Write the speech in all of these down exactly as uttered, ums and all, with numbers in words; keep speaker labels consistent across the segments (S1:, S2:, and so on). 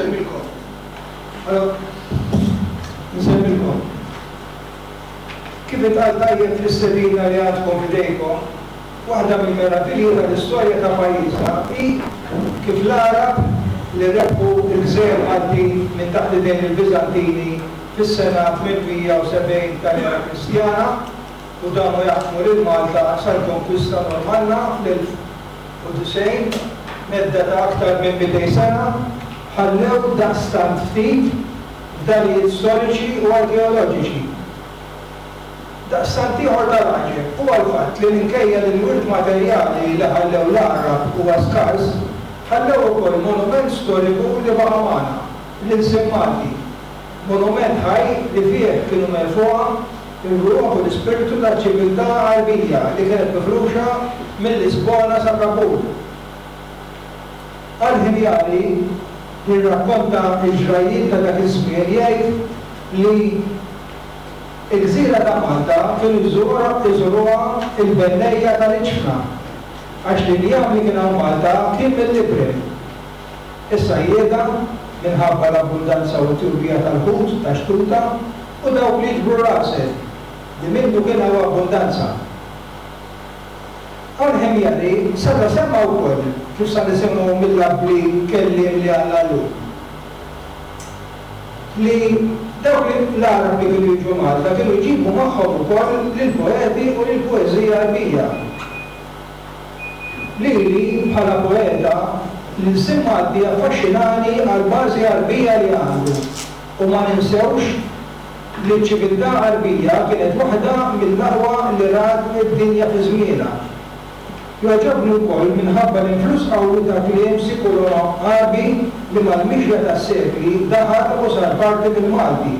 S1: Nsellmilkom. Allora, nsellmilkom. Kif intqal tajjeb fl-istedina li għandkom f'idejkom, waħda mill-meravilji tal-istorja ta' pajjiżna hi kif l-Għarab li rebħu l-gżejjer Maltin minn taħt idejn il-Biżantini fis-sena tmien mija u sebgħin tal-era Kristjana u damu jaħkmu lil Malta sal-konkwista Normanna fl-elf u disgħin, medda ta' aktar minn mitejn sena, ħallew daqstant ftit fdalijiet storiċi u arkeoloġiċi. Daqstant ieħor tal-għaġeb huwa l-fatt li minkejja li l-wirt materjali li ħallew l-Għarab huwa skars, ħallew ukoll monument storiku li baqa' magħna, l-ilsien Malti. Monument ħaj li fih kienu merfugħa ir-ruħ u l-ispirtu tal-ċiviltà Għarbija li kienet mifruxa mill-Lisbona sa Kabul. Al-Ħimjari jirrakkonta l-ġrajjiet ta' dak iż-żmien, jgħid li il-gżira ta' Malta kienu jżuruha il-bennejja tal-iġfna għax l-injam li kien hawn Malta kien mill-iprem. Is-sajjieda, minħabba l-abbundanza u t-tjubija tal-ħut ta' xtuta, u dawk li jiġbru l-għasel li minnu kien hawn abbundanza. Al-Ħimjari seta' semma wkoll, kif sa nisimgħu mill-abbli kelliem li għandna llum, li dawk l-Għarab li kienu jiġu Malta kienu jġibu magħhom ukoll lill-poeti u lill-poeżija Għarbija. Lili bħala poeta, l-ilsien Malti affaxxinani għall-bażi Għarbija li għandu u ma ninsewx li ċ-ċiviltà Għarbija kienet waħda mill-aqwa li rat id-dinja fi żmienha. Jogħġobni wkoll minħabba l-influss qawwi ta' kliem Sikulo-Għarbi li mal-mixja tas-sekli daħal u sar parti mill-Malti,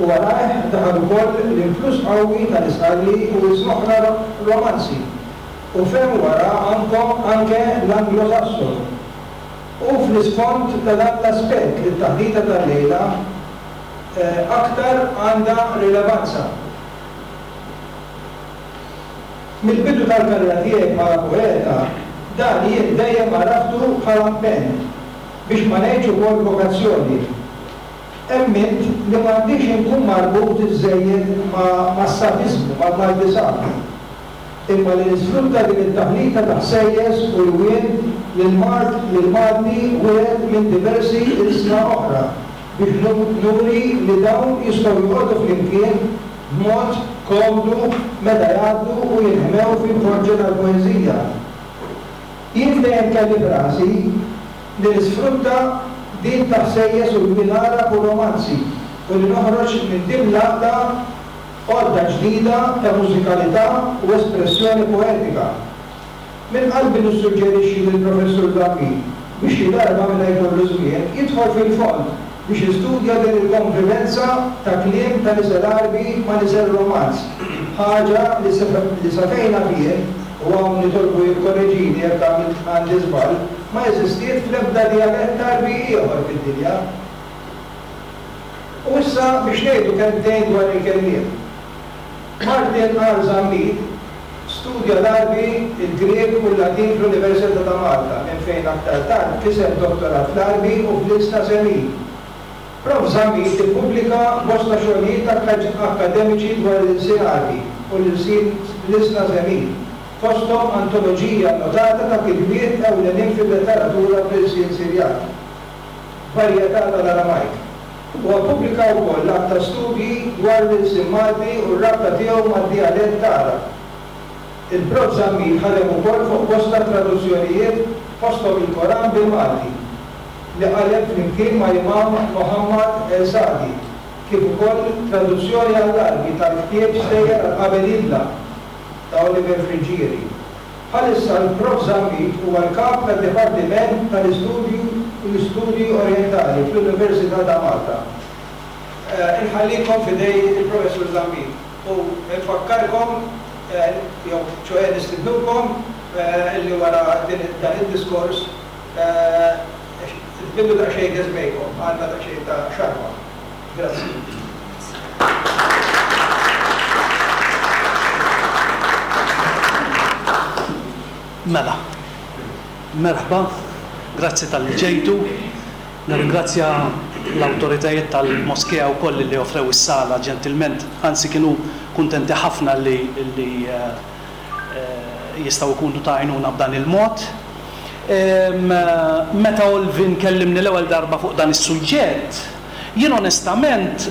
S1: u warajh daħal ukoll l-influss qawwi tal-Isqalli u ilsna oħra Romanzi u ferm wara ankom anke l-Anglo-Sassonu. U fl-isfond ta' dan l-aspett li t-taħdita tal-lejla aktar għandha rilevanza. Mill-bidu tal-karriera tiegħi bħala poeta, dan jien dejjem għaraftu bħala impenn, biex ma ngħidx ukoll vokazzjoni. Emmint li m'għandix inkun marbut iżżejjed mas-safiżmu, mal-Malti safi, imma li nisfrutta din it-taħlita ta' ħsejjes u lwien li l-Malti wiret minn diversi ilsna oħra biex nuri li dawn jistgħu joqogħdu flimkien b'mod komdu meta jgħaddu u jinħmew fil-forġa tal-poeżija. Jien dejjem kelli f'rasi li nisfrutta din ta' ħsejjes u lwien Għarab u Romanzi u li noħroġ minn din l-għaqda għodda ġdida ta' mużikalità u espressjoni poetika. Minn qalbi nissuġġerixxi lill-Professur Zammit biex xi darba, meta jkollu żmien, jidħol fil-fond biex jistudja din il-konvivenza ta' kliem ta' nisel Għarbi ma' nisel Romanz, ħaġa li sa fejn naf jien, u hawn nitolbu jikkoreġini jekk għamilt għandi żball, ma eżistiet fl-ebda djalett Għarbi ieħor fid-dinja. U issa biex ngħidu kelmtejn dwar il-kelliem. Martin R. Zammit studja l-Għarbi, il-Grieg u l-Latin fl-Università ta' Malta, minn fejn aktar tard kiseb dottorat fl-Għarbi u fl-Ilsna Semit. Prof Zammit ippubblika bosta xogħlijiet akkademiċi dwar l-ilsien Għarbi u l-ilsna Semit, fosthom antoloġija annotata ta' kitbiet ewlenin fil-letteratura bl-ilsien Sirjan, varjetà tal-Aramajk. Huwa ppubblika wkoll għadd ta' studji dwar l-ilsien Malti u r-rabta tiegħu mad-djalett Għarab. Il-Prof Zammit ħadem ukoll fuq bosta traduzzjonijiet, fosthom il-Koran bil-Malti li qaleb flimkien ma' Imam Muhammad El Sadi, kif ukoll traduzzjoni għall-Għarbi tal-ktieb Stejjer għal Qabel Jidlam ta' Oliver Friggieri. Bħalissa l-Prof Zammit huwa l-kap tad-Dipartiment tal-Istudju l-Istudji Orjentali fl-Università ta' Malta. Inħallikom f'idejn il-Professur Zammit u nfakkarkom, jew ċoè nistidnukom, li wara dan id-diskors tbillu daqsxejn geżmejkom, għandna daqsxejn ta' xarba. Grazzi.
S2: Mela, merħba, grazzi talli ġejtu. Nirringrazzja l-awtoritajiet tal-moskea wkoll li offrew is-sala ġentilment, anzi kienu kuntenti ħafna li, li eh, eh, jistgħu jkunu ta' għajnuna b'dan il-mod. Meta Olvin kellimni l-ewwel darba fuq dan is-suġġett, jien onestament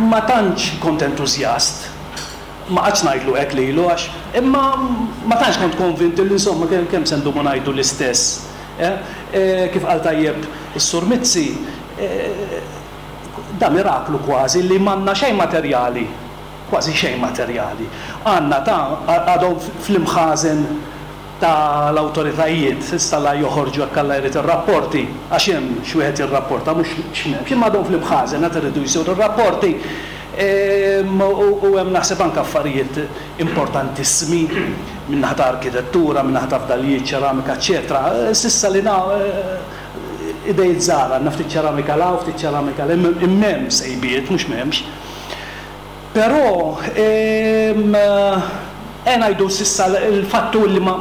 S2: ma tantx kont entużjast. Ma qgħadtx ngħidlu hekk lilu għax imma ma tantx kont konvint li insomma kemm se ndumu ngħidu l-istess. Kif qal tajjeb is-Sur Mizzi, da miraklu kważi li m'għandna xejn materjali, kważi xejn materjali. Għandna ta' għadhom fl-imħażen tal-awtoritajiet, issa la joħorġu hekk Alla jrid ir-rapporti, għax hemm xi wieħed jirrapporta mhux x'm'hemmx, imma għadhom fl-imħażen għad iridu jsiru r-rapporti. U hemm naħseb anke affarijiet importantissimi min-naħa ta' arkitettura, min-naħa ta' fdalijiet, ċeramika, eċċetera. S'issa li na idejt żgħar, għandna ftit ċeramika 'l hawn, ftit ċeramika 'l hemm, imma hemm sejbiet, mhux m'hemmx. Però eh ngħidu s'issa l-fattu li ma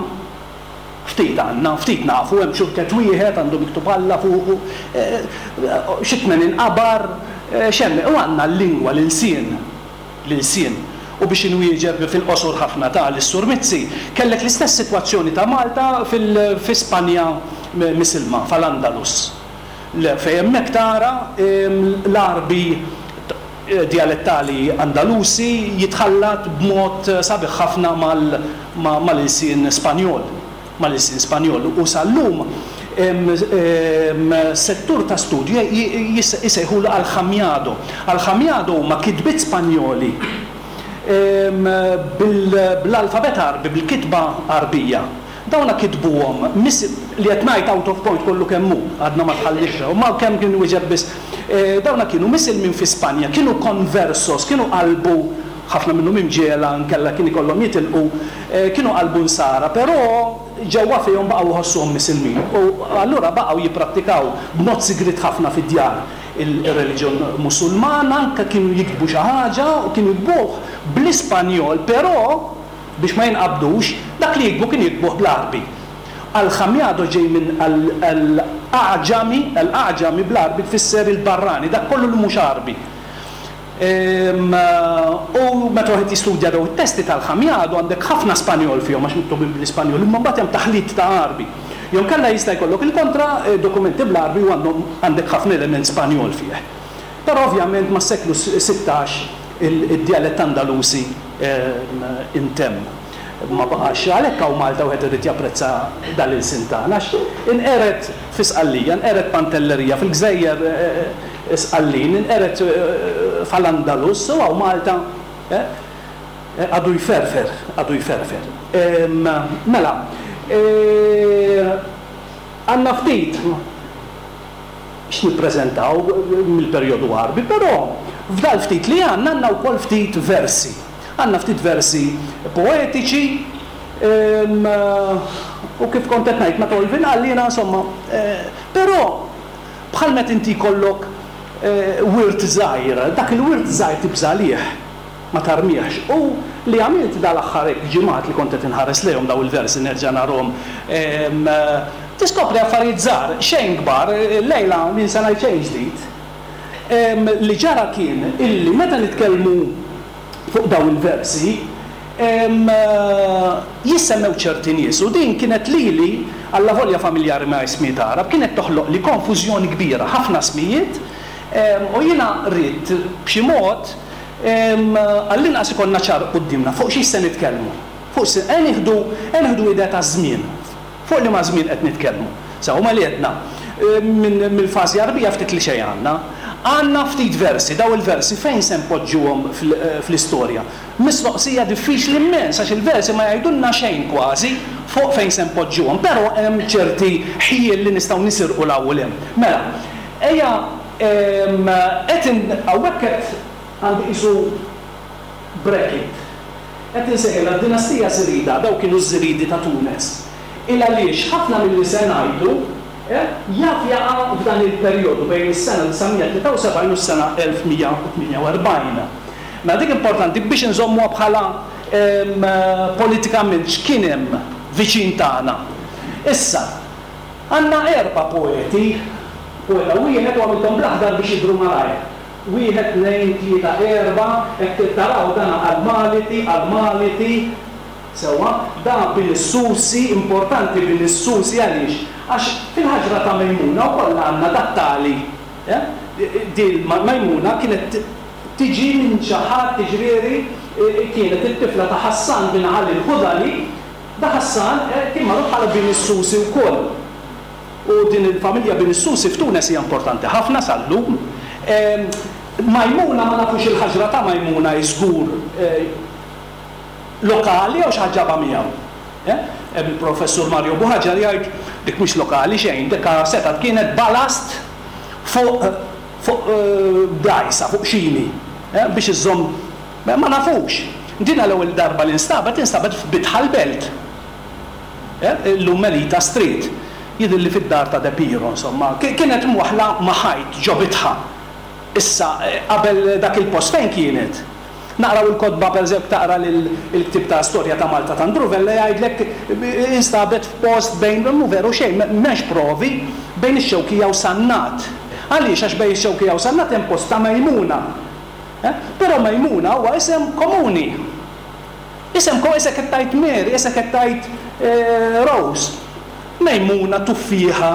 S2: ftit għandna, ftit nafu, hemm xurket wieħed għandu miktub Alla fuqu, xi tmenin qabar, x'hemm, u għandna l-lingwa, l-ilsien, l-ilsien. U biex inwieġeb fil-qosor ħafna ta' lis-Sur Mizzi, kellek l-istess sitwazzjoni ta' Malta fi Spanja misilma, fl-Andalus. Fejn hemmhekk tara l-Għarbi dialettali Andalusi jitħallat b'mod sabiħ ħafna mal-ilsien Spanjol. Mal-ilsien Spanjol. U sal-lum settur ta' studju jisejħulu Aljamiado. Aljamiado huma kitbiet Spanjoli bl-alfabet Għarbi, bil-kitba Għarbija. Dawna kitbuhom li qed ngħid out of point kollu kemm hu, għadna ma tħallix, ma kemm kien wieġeb biss. Dawna kienu misilmin fi Spanja, kienu conversos, kienu qalbu ħafna minnhom imġiegħla nkella kien ikollhom jitilqu, kienu qalbu nsara, però ġewwa fihom baqgħu jħossuhom misilmin. U allura baqgħu jipprattikaw b'mod sigriet ħafna fid-djar il-reliġjon Musulman, anke kienu jiktbu xi ħaġa u kienu jiktbuh bl-Ispanjol, però biex ma jinqabdux, dak li jiktbu kien jiktbuh bl-Għarbi. Aljamiado ġej minn al-A'ġami, al-A'ġami bl-Għarbi tfisser il-barrani, dak kollu li mhux Għarbi. U meta wieħed jistudja daw it-testi tal-Aljamiado għandek ħafna Spanjol fihom għax miktubin bl-Ispanjol, imma mbagħad hemm taħlit ta' Għarbi. Jew kellha jista' jkollok il-kontra dokumenti bl-Għarbi u għandhom għandek ħafna element Spanjol fih. Però ovvjament mas-seklu sittax id-dialett Andalusi intemm. Ma baqax għalhekk hawn Malta wieħed irid japprezza dal-ilsien tagħna għax inqered fi Sqallija, inqered Pantellerija fil-Gżejjer Sqallin, inqered fl-Andalus, u hawn Malta għadu jferfer, għadu jferfer. Mela, għandna ftit x'nippreżentaw mill-perjodu Għarbi, però f'dal ftit li għandna għandna wkoll ftit versi. Għandna ftit versi poetiċi, u kif kont qed ngħid meta Olvin qal jiena insomma, però bħal meta inti jkollok wirt żgħir, dak il-wirt żgħir tibża' għalih, ma tarmihx. U li għamilt dal-aħħar hekk ġimgħat li kont qed inħares lejhom daw il-versi nerġa' narhom, tiskopri affarijiet żgħar, xejn kbar, lejla min se ngħid xejn ġdid. Li ġara kien illi meta nitkellmu fuq daw il-versi, jissemmew ċerti nies u din kienet lili alla volja familjari ma' ismijiet Għarab, kienet toħloq li konfużjoni kbira, ħafna ismijiet, u jiena rrid b'xi mod għall-inqas ikollna ċar quddiemna fuq xi se nitkellmu. Fuq se nieħdu nieħdu idea ta' żmien. Fuq li ma' żmien qed nitkellmu. Sa huma li għedna mill-fażi Għarbija ftit li xejn għandna. Għandna ftit versi, daw il-versi fejn se npoġġuhom fl-istorja. Mistoqsija diffiċli immens għax il-versi ma jgħidulna xejn kważi fuq fejn se npoġġuhom, però hemm ċerti ħjiel li nistgħu nisirqu 'l hawn u 'l hemm. Mela, ejja qed hawnhekk qed għandi qisu bracket. Qed insejħilha d-dinastija Żirida, daw kienu ż-Żiridi ta' Tunes. Il għaliex ħafna milli se ngħidu jaf jaqa' f'dan il-perjodu bejn is-sena disa' mija tlieta u sebgħin u s-sena elf mija u tmienja u erbgħin. Mela dik importanti biex inżommuha bħala politikament x'kien hemm viċin tagħna. Issa, Għandna erba' poeti, poeta wieħed u għamilthom bl-aħdar biex jidhru malajr. Wieħed, tnejn, tlieta, erba', hekk taraw dan għall-Maliti, għall-Maliti, sewwa, dan bin is-Susi, importanti bin is-Susi għaliex? Għax fil-ħaġra ta' Mejmuna wkoll għandna dat-tali. Din Mejmuna kienet tiġi minn xi ħadd, jiġifieri kienet it-tifla ta' Ħassan bin Ali l-Ħudali, da Ħassan kien magħruf bħala bin is-Susi wkoll. U din il-familja bin is-Susi f'Tunes hija importanti ħafna sal-lum. Majmuna ma nafux il-ħaġra ta' Majmuna hi żgur lokali jew xi ħadd ġabha miegħu. Il-Professur Mario Buhaġar jgħid dik mhix lokali xejn, dik setgħet kienet balast fuq fuq dgħajsa, fuq xini, biex iżżomm, ma nafux. Dina l-ewwel darba li nstabet, instabet f'Bitħa l-Belt. Illum Melita Street. Jidhirli fid-dar ta' De Piro, insomma. Kienet mwaħħla ma' ħajt ġo bitħa. Issa, qabel dak il-post fejn kienet? Naqraw il-kotba, pereżempju, taqra l-ktieb ta' Storja ta' Malta ta' Andrew Vella jgħidlek instabet f'post bejn, mhu veru xejn, m'hemmx provi, bejn ix-Xewkija u Sannat. Għaliex? Għax bejn ix-Xewkija u Sannat hemm post ta' Mejmuna. Però Mejmuna huwa isem komuni. Isem komuni, isek qed tgħid Mary, isek qed tgħid Rose. Mejmuna, tuffieħa,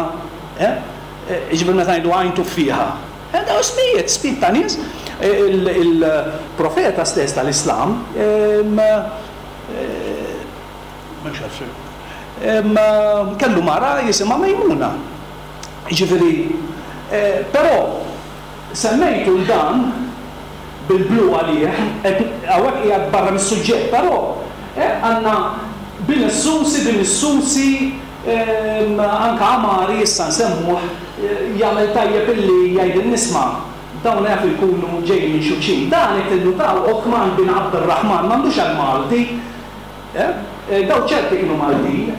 S2: jiġifieri meta ngħidu għajn tuffieħa. Dawn ismijiet, ismijiet ta' nies. Il-profeta stess tal-Islam, kellu mara jisimha Mejmuna. Jiġifieri, però semmejtu l dan bil-blu għalih, hawnhekk qiegħed barra mis-suġġett, però għandna bin is-Susi, bin is-Susi, anke Amari issa nsemmuh, jagħmel tajjeb illi jgħidilna isma', dawn jafu jkunu ġejjin minn xulxin. Dan jekk tinnutaw Othman bin Abdurrahman m'għandux għal Malti. Dawn ċerti kienu Maltin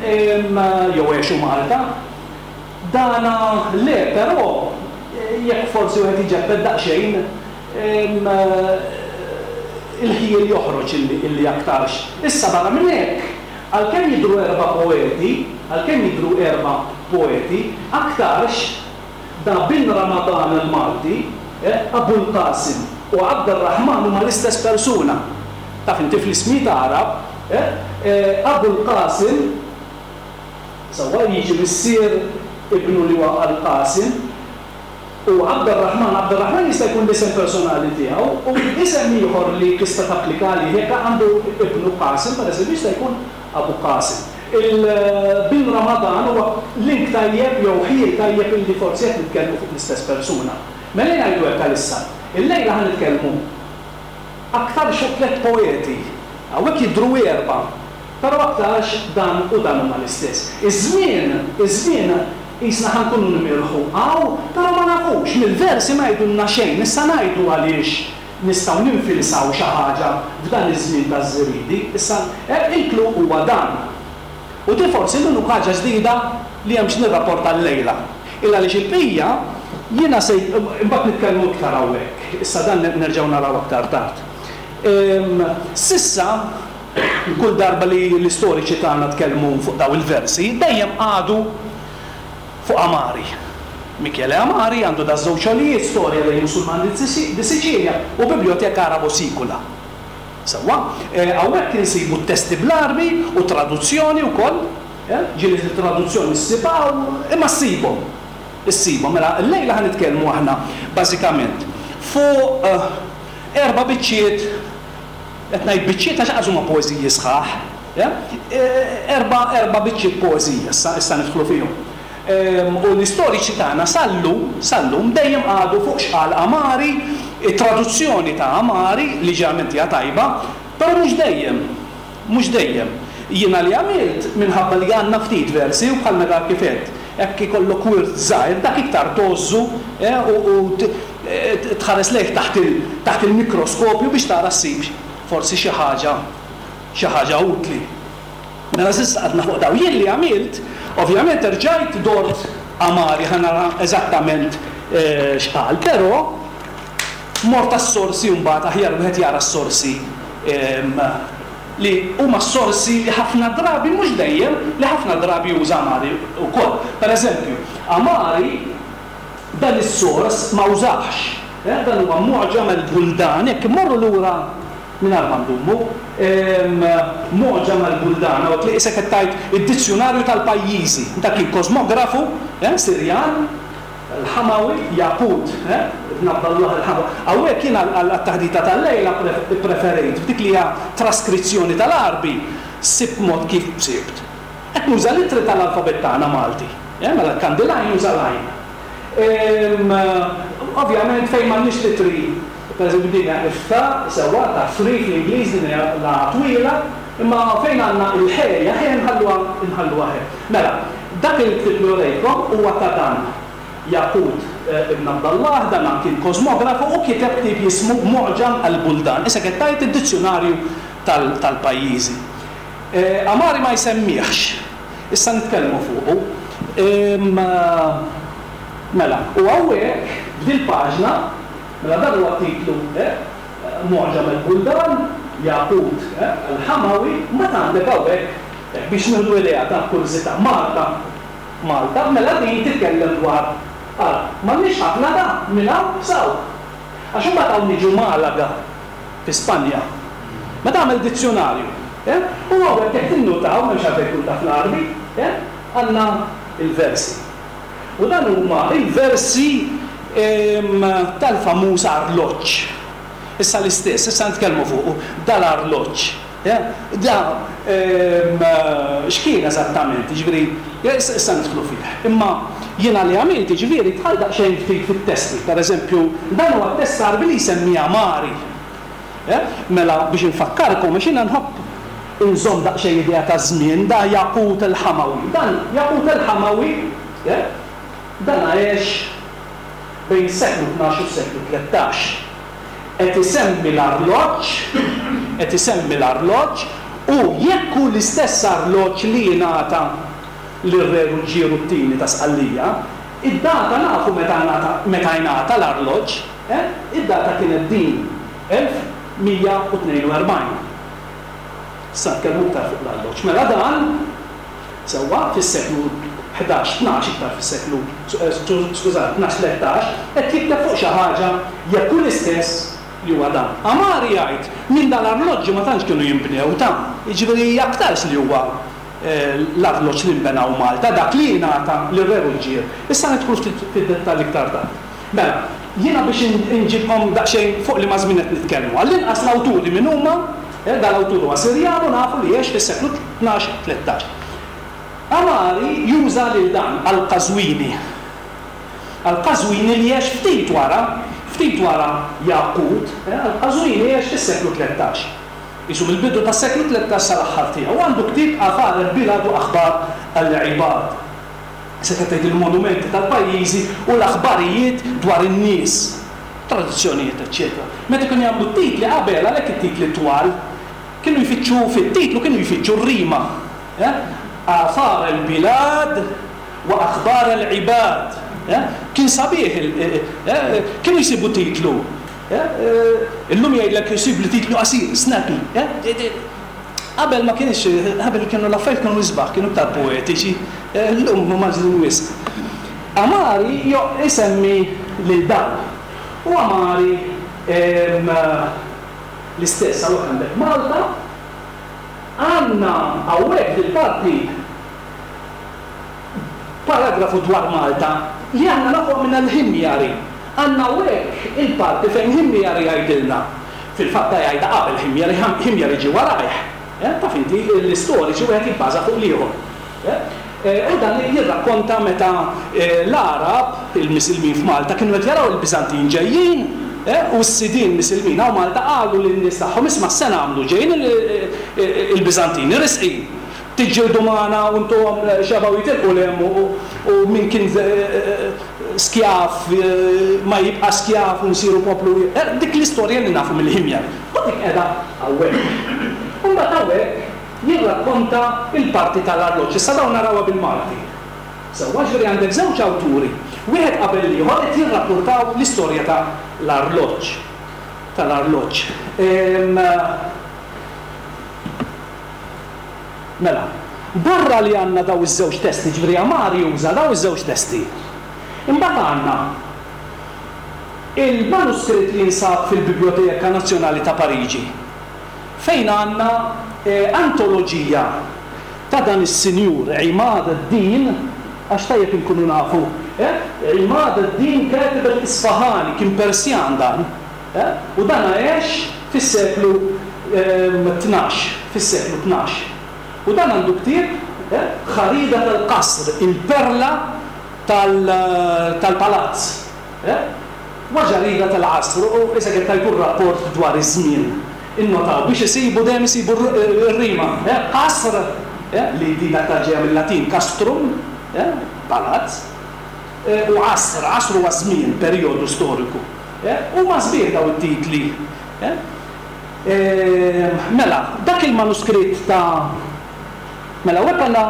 S2: jew għexu Malta. Dana le, però jekk forsi wieħed jiġebbed daqsxejn il-ħjiel joħroġ illi aktarx. Issa barra minn hekk, għalkemm jidhru erba' poeti, għalkemm jidhru erba' poeti, aktarx da bin Ramadan il-Malti, Abul Qasim u Abdurrahman huma l-istess persuna. Taf inti fl-ismijiet Għarab, Abul Qasim sewwa jiġi missier ibnu li huwa Al-Qasim, u Abdurrahman, Abdurrahman jista' jkun l-isem personali tiegħu, u isem ieħor li tista' tapplika għalih jekk għandu ibnu Qasim, pereżempju, jista' jkun Abu Qasim. Il-bin Ramadan huwa link tajjeb jew ħjiel tajjeb illi forsi qed nitkellmu fuq l-istess persuna. Mela jien ngħidu hekk għalissa. Illejla ħa nitkellmu aktarx fuq tliet poeti. Hawnhekk jidhru erba', però aktarx dan u dan huma l-istess. Iż-żmien, iż-żmien qisna ħa nkunu nimirħu hawn, però ma nafux, mill-versi ma jgħidulna xejn. Issa ngħidu għaliex nistgħu ninfilsaw xi ħaġa f'dan iż-żmien taż-Żiridi. Issa il-klu huwa dan. U di forsi l-unika ħaġa ġdida li hemm x'nirrapporta llejla. Illa għaliex il-bqija jiena se imbagħad nitkellmu iktar hawnhekk. Issa dan nerġgħu naraw aktar tard. Sissa kull darba li l-istoriċi tagħna tkellmu fuq daw il-versi, dejjem qagħdu fuq Amari. Michele Amari għandu da żewġ xogħlijiet, Storja dei Musulmani di Sicilia u Biblioteka Arabo Sicula. Sewwa, hawnhekk insibu t-testi bl-Għarbi u traduzzjoni wkoll, ġieli traduzzjoni ssibha imma ssibhom. Issibhom. Mela llejla ħa nitkellmu aħna bażikament fuq erba' biċċiet, qed ngħid biċċiet għax qas huma poeżiji sħaħ, erba' erba' biċċiet poeżija issa issa nidħlu fihom. U l-istoriċi tagħna sal-lum, sal-lum dejjem qagħdu fuq x'qal Amari, it-traduzzjoni ta' Amari li ġeneralment hija tajba, però mhux dejjem, mhux dejjem. Jiena li għamilt minħabba li għandna ftit versi u bħal meta kif għedt, hekk ikollok wirt żgħir dak iktar tgħożżu u tħares lejh taħt il-mikroskopju biex tara ssib forsi xi ħaġa xi ħaġa utli. Mela s'issa qgħadna fuq daw. Jien li għamilt, ovvjament rġajt dort Amari ħa nara eżattament x'qal, però mort għas-sorsi mbagħad aħjar wieħed jara s-sorsi Li huma sorsi li ħafna drabi, mhux dejjem, li ħafna drabi juża Amari wkoll. Pereżempju, Amari dan is-sors ma użax. Dan huwa Mu'ġam al-Buldan, jekk immorru lura mingħajr ma ndumu, Mu'ġam al-Buldan, hawnhekk li qisek qed tgħid id-dizzjunarju tal-pajjiżi. Dak kien kosmografu Sirjan, Al-Hamawi, Yaqut ibn Abdallah Al-Hamawi. Hawnhekk jien għat-taħdita tal-lejla ppreferejt f'dik li hija traskrizzjoni tal-Għarbi, sibt mod kif sibt. Qed nuża l-ittri tal-alfabett tagħna Malti. Mela jekk għandi l-għajn nuża l-għajn. Ovvjament fejn m'għandniex l-ittri, pereżempju din hija ifta, sewwa, ta' free fl-Ingliż, din hija la twila, imma fejn għandna il-ħe hija ħe nħalluha nħalluha ħe. Mela, dak il-ktieb li urejtkom huwa ta' dan. Yaqut ibn Abdallah, dan kien kosmografu u kiteb ktieb jismu Mu'ġam al-Buldan, issa qed tgħid id-dizzjunarju tal-pajjiżi. Amari ma jsemmihx, issa nitkellmu fuqu. Mela, u hawnhekk f'dil-paġna, mela dan huwa t-titlu Mu'ġam al-Buldan, Yaqut al-Hamawi, mbagħad għandek hawnhekk biex nieħdu idea ta' kurżità, Malta. Malta, mela din titkellem dwar, ara, m'għandniex ħafna ta' minn hawn s'hawn. Għax imbagħad hawn niġu Malaga, fi Spanja. Meta għamel dizzjunarju, eh? U hawnhekk jekk tinnutaw, m'hemmx għalfejn tkun taf l-Għarbi, eh? Għandna il-versi. U dan huma il-versi tal-famuż arloġġ. Issa l-istess, issa nitkellmu fuqu, dal-arloġġ. Da x'kien eżattament, jiġifieri, issa nidħlu fih. Imma jiena li għamilt, jiġifieri, dħalt daqsxejn ftit fit-testi. Pereżempju, dan huwa t-test Għarbi li jsemmi Amari. Mela biex infakkarkom, għax jiena nħobb inżomm daqsxejn idea ta' żmien, da Yaqut al-Hamawi. Dan Yaqut al-Hamawi, dan għex bejn is-seklu tnax u s-seklu tlettax. Qed isemmi l-arloġġ, qed isemmi l-arloġġ, u jekk hu l-istess arloġġ li jingħata lir-Re Ruġġieru t-Tieni ta' Sqallija, id-data nafu meta meta jingħata l-arloġġ, eh? Id-data kienet din, elf mija u tnejn u erbgħin. Issa nitkellmu iktar fuq l-arloġġ. Mela dan, sewwa, fis-seklu ħdax, tnax, iktar fis-seklu, skużani, tnax, tlettax, qed jikteb fuq xi ħaġa jekk hu l-istess li huwa dan. Amari jgħid minn dal-arloġġi ma tantx kienu jinbnew ta', jiġifieri aktarx li huwa l-arloġġ li nbenaw Malta, dak li jingħata lir-Re Ruġġier. Issa nidħlu ftit fid-dettall iktar tard. Mela, jiena biex inġibkom daqsxejn fuq liema żmien qed nitkellmu. Għall-inqas l-awturi min huma, dal-awtur huwa Sirjan u nafu li għex fis-seklu tnax, tlettax. Amari juża lil dan Al-Qazwini. Al-Qazwini li għex ftit wara, ftit wara Yaqut, Al-Qazwini għex fis-seklu tlettax. Isu mill-bidu tas-seklu tlettax sal-aħħar tiegħu. Għandu ktieb Athar al-Bilad u Akhbar al-Ibad. Se qed tgħid il-monumenti tal-pajjiżi u l-aħbarijiet dwar in-nies, tradizzjonijiet, eċċetera. Meta kienu jagħmlu t-titli qabel, għalhekk it-titli twal, kienu jfittxu fit-titlu kienu jfittxu r-rima. Athar al-Bilad wa Akhbar al-Ibad. Kien sabiħ, kienu jsibu titlu. Illum jgħidlek jsib li titlu qasir, snappy. Qabel ma kienx, qabel kienu l-affarijiet kienu isbaħ, kienu iktar poetiċi, illum ma maġlin wisq. Amari isemmi lil dan. U Amari l-istess, hawnhekk għandek Malta, għandna hawnhekk fil-parti paragrafu dwar Malta li għandna nafuha minn al-Ħimjari. Għandna hawnhekk il-parti fejn Ħimjari jgħidilna. Fil-fatt jgħidha qabel Ħimjari, Ħimjari ġie warajh. Taf inti l-istoriċi wieħed jibbaża fuq l-ieħor. U dan jirrakkonta meta l-Għarab, il-Misilmin f'Malta, kienu qed jaraw il-Biżantin ġejjin, u s-sidien Misilmin hawn Malta qalu lin-nies tagħhom, isma' x'se nagħmlu, ġejjin il-Biżantini risqin. Tiġġieldu magħna u ntuhom xebgħu jitilqu 'l hemm u min kien skjav ma jibqa' skjav u nsiru poplu. Dik l-istorja li nafu mill-Ħimjar. U dik qiegħda hawnhekk. U mbagħad hawnhekk jirrakkonta l-parti tal-arloġġ. Issa dawn narawha bil-Malti. Sewwa, ġifieri għandek żewġ awturi, wieħed qabel l-ieħor qed jirrappurtaw l-istorja ta' l-arloġġ. Tal-arloġġ. Mela, barra li għandna daw iż-żewġ testi, ġifieri Amari juża daw iż-żewġ testi. Imbagħad għandna il-manuskritt li jinsab fil-Biblioteka Nazzjonali ta' Pariġi, fejn għandna eh, antoloġija ta' dan is-sinjur Imad ad-Din, għax tajjeb inkunu nafu, eh? Imad ad-Din Katib al-Isfahani, kien Persjan dan, eh? U dan għex fis-seklu tnax, fis-seklu tnax. U dan għandu ktieb, eh? Ħarida tal-Qasr, il-perla tal-palazz. Eh? Wa ġarida tal-Qasr, u issa qed tajtu rapport dwar iż-żmien. Innotaw biex isibu dejjem isibu r-rima. Eh? Qasr, eh? Li din aktar ġejja mill-Latin castrum, eh? Palazz, eh, u qasr, qasr huwa żmien, perjodu storiku. Eh? U ma sbieħ daw it-titli. Eh? Eh, mela, dak il-manuskritt ta' mela, hekk għandna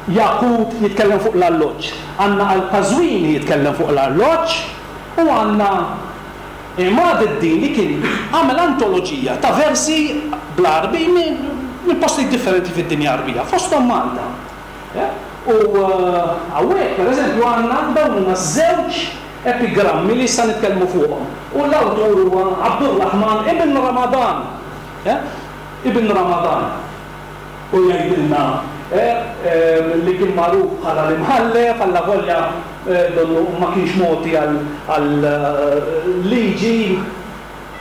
S2: Jaqut jitkellem fuq l-alloġġ, għandna Al-Qazwini jitkellem fuq l-alloġġ, u għandna Imad id-Din li kien għamel antoloġija ta' versi bl-Għarbi minn postijiet differenti fid-dinja Għarbija, fosthom Malta. U hawnhekk, pereżempju, għandna dawn huma żewġ epigrammi li issa nitkellmu fuqhom. U l-awtur huwa Abdurrahman ibn Ramadan. Ibn Ramadan. U jgħidilna li kien magħruf bħala l-imħallef, alla volja donnu ma kienx moti għal liġi,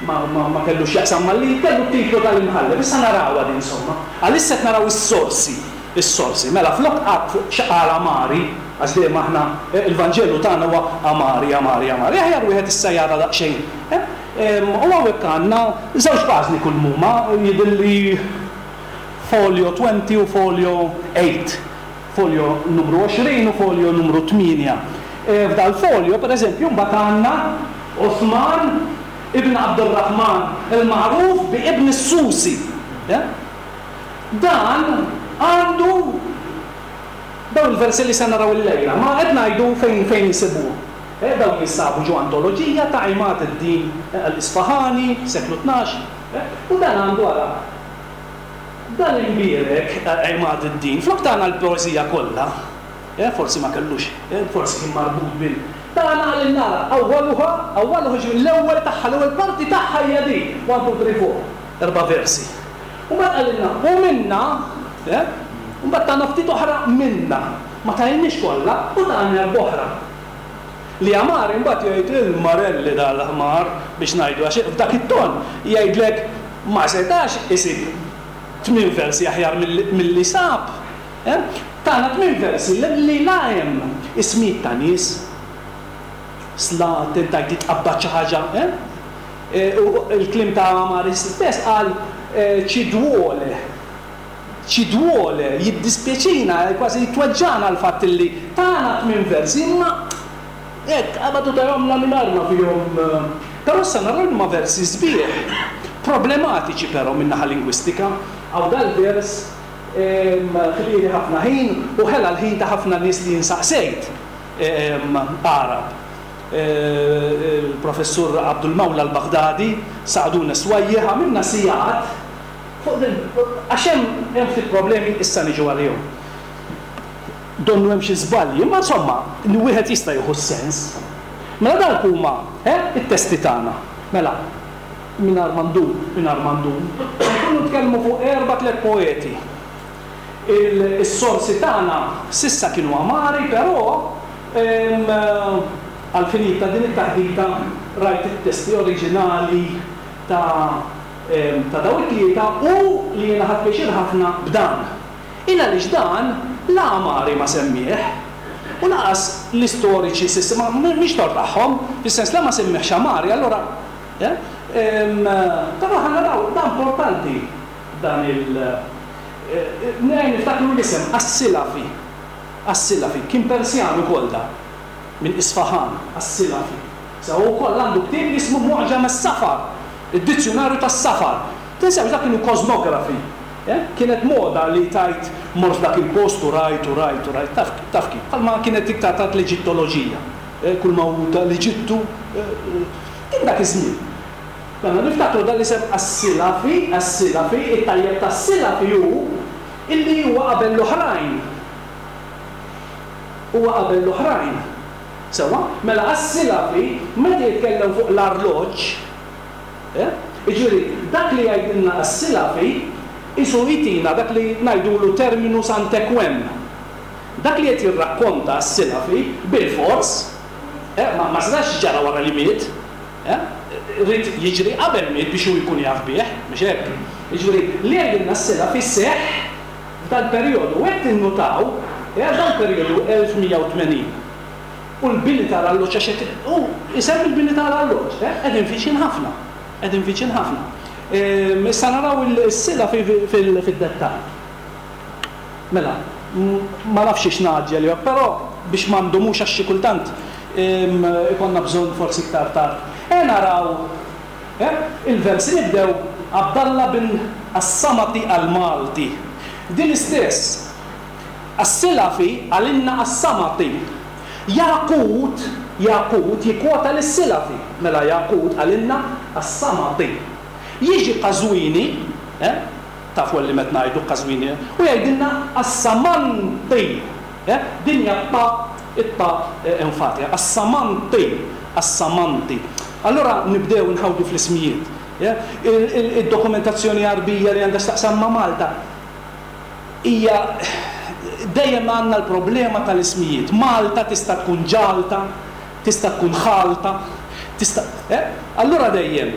S2: ma kellux jaqsam mal-liġi, kellu titlu tal-imħallef. Issa narawha din insomma. Għalissa qed naraw is-sorsi, is-sorsi. Mela flok qatt fuq x'qal Amari, għax dejjem aħna il-Vanġelu tagħna huwa Amari, Amari, Amari. Aħjar wieħed issa jara daqsxejn. U hawnhekk għandna żewġ paġni kull muma, jidhirli folio twenty u folio eight, folio numru għoxrin u folio numru tmienja. F'dal folio, per eżempju, mbagħad għandna Uthman ibn Abdurrahman, il-magħruf bi Ibn Susi. Dan għandu dawn il-versi li se naraw illejla, ma qed ngħidu fejn fejn insibuhom. Dawn jinsabu ġo antoloġija ta' Imad ad-Din al-Isfahani, seklu tnax, u dan għandu ara dan imbierek Imad ad-Din, flok tagħna l-poeżija kollha, forsi ma kellux, forsi kien marbut bil tagħna għal nara awwaluha, awwaluha ġifieri l-ewwel tagħha, l-ewwel parti tagħha hija din, one, two, three, four, erba' versi. U mbagħad qalilna u minna, u mbagħad tagħna ftit oħra minna, ma tajniex kollha u tagħna erba' oħra. Li Amari mbagħad jgħid il-marelli dal-ħmar biex ngħidu għax f'dak it-ton jgħidlek ma setax isib tmien versi aħjar milli sab. Tagħna tmien versi li la hemm ismijiet ta' nies, sla tentajt titqabbad xi ħaġa, u l-kliem ta' Amari stess qal ci duole, ci duole, jiddispjaċina, kważi jitweġġana l-fatt li tagħna tmien versi, imma hekk qabadu tajhomna mingħajr ma fihom. Però issa naraw huma versi sbieħ, problematiċi però min-naħa lingwistika. Għaw dal-vers ħlieli ħafna ħin u ħela l-ħin ta' ħafna nies li jinsaqsejt Arab. Il-professur Abdul Mawla al-Baghdadi, Sa'dun Swajjeh, għamilna sigħat fuq din, għax hemm ftit problemi issa niġu għalihom. Donnu hemm xi żbalji, imma insomma, li wieħed jista' jieħu s-sens. Mela dawk huma it-testi tagħna. Mela, mingħajr ma ndum, mingħajr ma ndum, nkunu nitkellmu fuq erba' tliet poeti. Is-sorsi tagħna sissa kienu Amari, però għal-finit ta' din it-taħdita rajt it-testi oriġinali ta' ta' daw it-tlieta u li jiena ħadt pjaċir ħafna b'dan. Il għaliex dan la Amari ma semmih u laqas l-istoriċi sissa ma mhix tort tagħhom, fis-sens la ma semmihx Amari, allura però ħa naraw dan importanti dan il nejn niftakru l-isem As-Silafi. As-Silafi kien Persjan ukoll da minn Isfahan, As-Silafi. Sa wkoll għandu ktieb li jismu Mu'ġam as-Safar, id-dizzjonarju tas-safar. Tinsewx dak kienu kosmografi. Kienet moda li tajt mort dak il-post u rajt u rajt u rajt, taf kif. Bħalma kienet iktar tat l-Eġittoloġija. Kull ma hu tal-Eġittu, kien dak iż-żmien. Mela niftakru dan l-isem As-Silafi, As-Silafi, it-tajjeb tas-Silafi hu Illi huwa qabel l-oħrajn. Huwa qabel l-oħrajn. Sewwa, mela As-Silafi meta jitkellem fuq l-arloġġ, eh? Jiġifieri dak li jgħidilna As-Silafi isu jtina dak li ngħidulu terminus ante quem. Dak li qed jirrakkonta As-Silafi bilfors, eh, ma, ma setax ġara wara li miet, eh? Ried jiġri qabel miet biex hu jkun jaf bih, mhux hekk? Jiġifieri li jgħidilna As-Silafi seħħ f'dal-perjodu. U hekk tinnutaw, eh, dal-perjodu elf mija u tmenin. U l-bini tal-alloġġ, għax qed u isemmi l-bini tal-alloġġ, eh, qegħdin viċin ħafna, qegħdin viċin ħafna. Ehm, issa naraw il-Silafi fid-dettall. Mela, ma nafx ix ngħaġġel jew, però biex ma ndumux għax xi kultant, ehm, ikonna bżonn forsi iktar tard. E naraw, eh, il-versi nibdew Abdallah bin As-Samati al-Malti. Din istess, As-Silafi għalinna As-Samati. Jaqut, Jaqut jikkwota lis-Silafi, mela Jaqut għalinna As-Samati. Jiġi Qazwini, eh, tafu li met ngħidu Qazwini, u jgħidilna As-Samanti. Eh, din hija ta, it-ta, eh, enfatika, As-Samanti, As-Samanti. Allora nibdew nħawdu fl-ismijiet. Eh, il-, il-, id-dokumentazzjoni Għarbija li għandha x'taqsam ma' Malta hija dejjem għandna l-problema tal-ismijiet. Malta tista' tkun ġalta, tista' tkun ħalta, tista', eh? Allura dejjem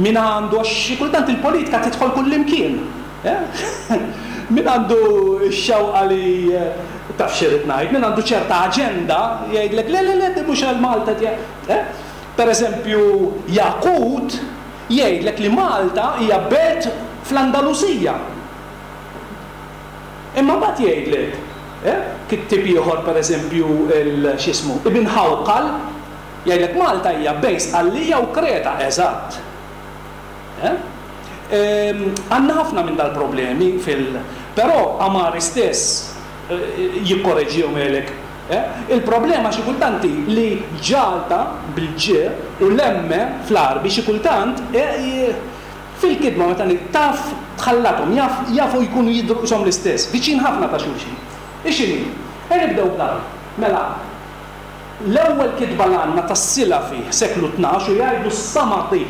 S2: min għandu, għax xi kultant il-politika tidħol kullimkien. Eh? Min għandu x-xewqa li, eh, taf xi rrid ngħid, min għandu ċerta aġenda jgħidlek le, le, le, di mhux għal Malta tiegħek. Eh? Per eżempju, Jaqut jgħidlek li Malta hija belt fl-Andalusija. Imma mbagħad jgħidlek, eh, kittib ieħor per eżempju il x'ismu, Ibn Hawqal, jgħidlek Malta hija bejn Sqallija u Kreta, eżatt. Eh? Ehm, għandna ħafna minn dal-problemi fil-, però Amari stess, eh, jikkoreġihom jgħidlek. Eh? Il-problema xi kultant hi li ġalta bil-ġ u l-emme fl-Għarbi xi kultant, eh, fil-kidma meta taf tħallathom, jaf, jafu jkunu jidhru qishom l-istess, viċin ħafna ta' xulxin. Ixini, e nibdew b'dan. Mela, l-ewwel kitba l għandna tas-Silafi seklu tnax u jgħidu s-Samati.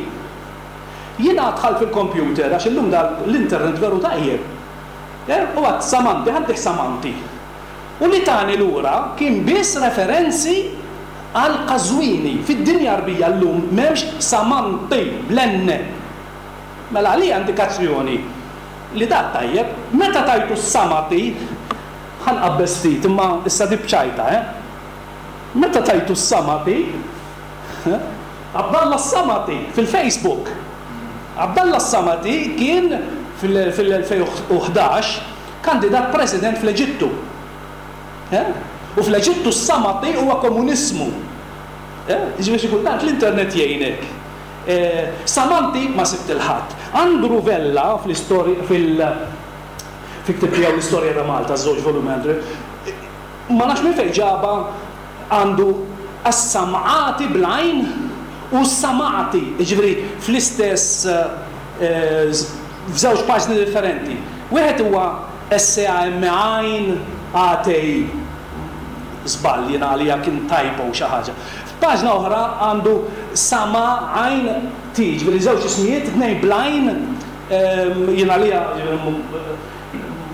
S2: Jiena dħalt fil-computer għax illum dal l-internet veru tajjeb. Eh, u għad Samanti, ħaddih Samanti. U li tani lura kien biss referenzi għal Qazwini. Fid-dinja Għarbija llum m'hemmx Samanti bl-N. Mela għalija indikazzjoni li dak tajjeb, meta tajtu s-Samati, ħanqabbes ftit, imma issa di bċajta, eh? Meta tajtu s-Samati, eh? Abdallah s-Samati fil-Facebook. Abdallah s-Samati kien fil-, fil-elfejn u ħdax kandidat president fl-Eġittu. Eh? U fl-Eġittu s-Samati huwa komuniżmu. Eh? Jiġifieri xi kultant l-internet jgħinek. Eh, Samanti ma sibt il-ħadd. Andrew Vella fl-istorja, fil-, fil-ktib tiegħu l-istorja ta' Malta, żewġ volumi Andrew, ma nafx minn fejn ġaba għandu as-sam'ati bl-għajn u s-samati, jiġifieri fl-istess, eh, f'żewġ paġni differenti. Wieħed huwa S A M għajn A T I, żball jiena għalija kien typo xi ħaġa. F'paġna oħra għandu sama għajn T, jiġifieri żewġ ismijiet, tnejn bl-għajn, ehm, jiena għalija, jiġifieri,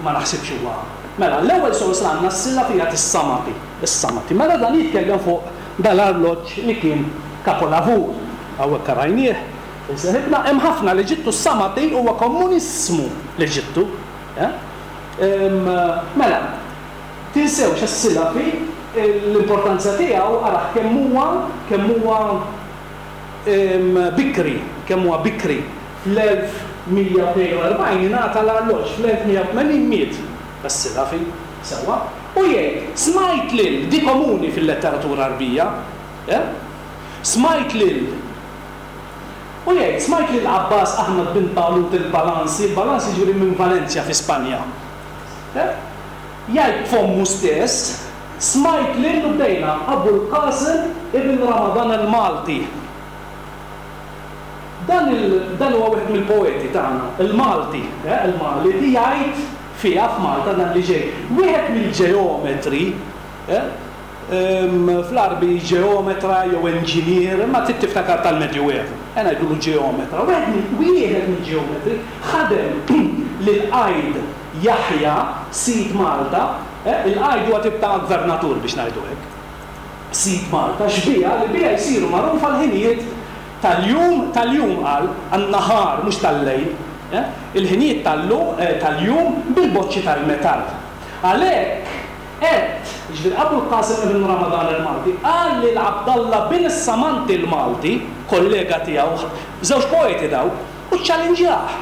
S2: ma naħsibx huwa. Mela, l-ewwel sors li għandna s-silla fija tis-samati, is-samati. Mela dan jitkellem fuq dal-arloġġ li kien kapolavur. Hawnhekk rajnieh, inseħibna, hemm ħafna l-Eġittu s-samati huwa komuniżmu l-Eġittu. Eh? Ehm, mela, tinsewx is-Silafi l-importanza tiegħu araħ kemm huwa, kemm huwa, ehm, bikri, kemm huwa bikri. Fl-elf mija u tnejn u erbgħin ingħata l-arloġġ, fl-elf mija u tmenin miet as-Silafi sewwa. U jgħid, smajt lil, di komuni fil-letteratura Għarbija, eh? Smajt lil, u jgħid, smajt lil Abbas Ahmad bin Talut il-Balansi, il-Balansi ġifieri minn Valencia fi Spanja. Eh? Jgħid fommu stess, smajt lil u bdejna Abu l-Qasim ibn Ramadan al-Malti. Dan il-, dan huwa wieħed mill-poeti tagħna, il-Malti, eh, il-Malti jgħid fiha f'Malta dan li ġej. Wieħed mill-ġeometri, fl-Għarbi ġeometra jew enġinier, imma trid tiftakar tal-Medjuevu, e ngħidulu ġeometra. Wieħed mill-ġeometri ħadem lil-Qajd Jaħja, sid Malta, il-Qajd huwa tip ta' gvernatur biex ngħidu hekk, sid Malta, xbieha li biha jsiru magħrufa l-ħinijiet tal-jum, tal-jum qal, għan-nahar mhux tal-lejl, il-ħinijiet tal-jum bil-boċċi tal-metall. Għalhekk qed, jiġifieri Abu l-Qasim ibn Ramadan il-Malti, qal lil Abdallah bin Samanti l-Malti, kollega tiegħu, żewġ poeti daw, u ċċallinġjah.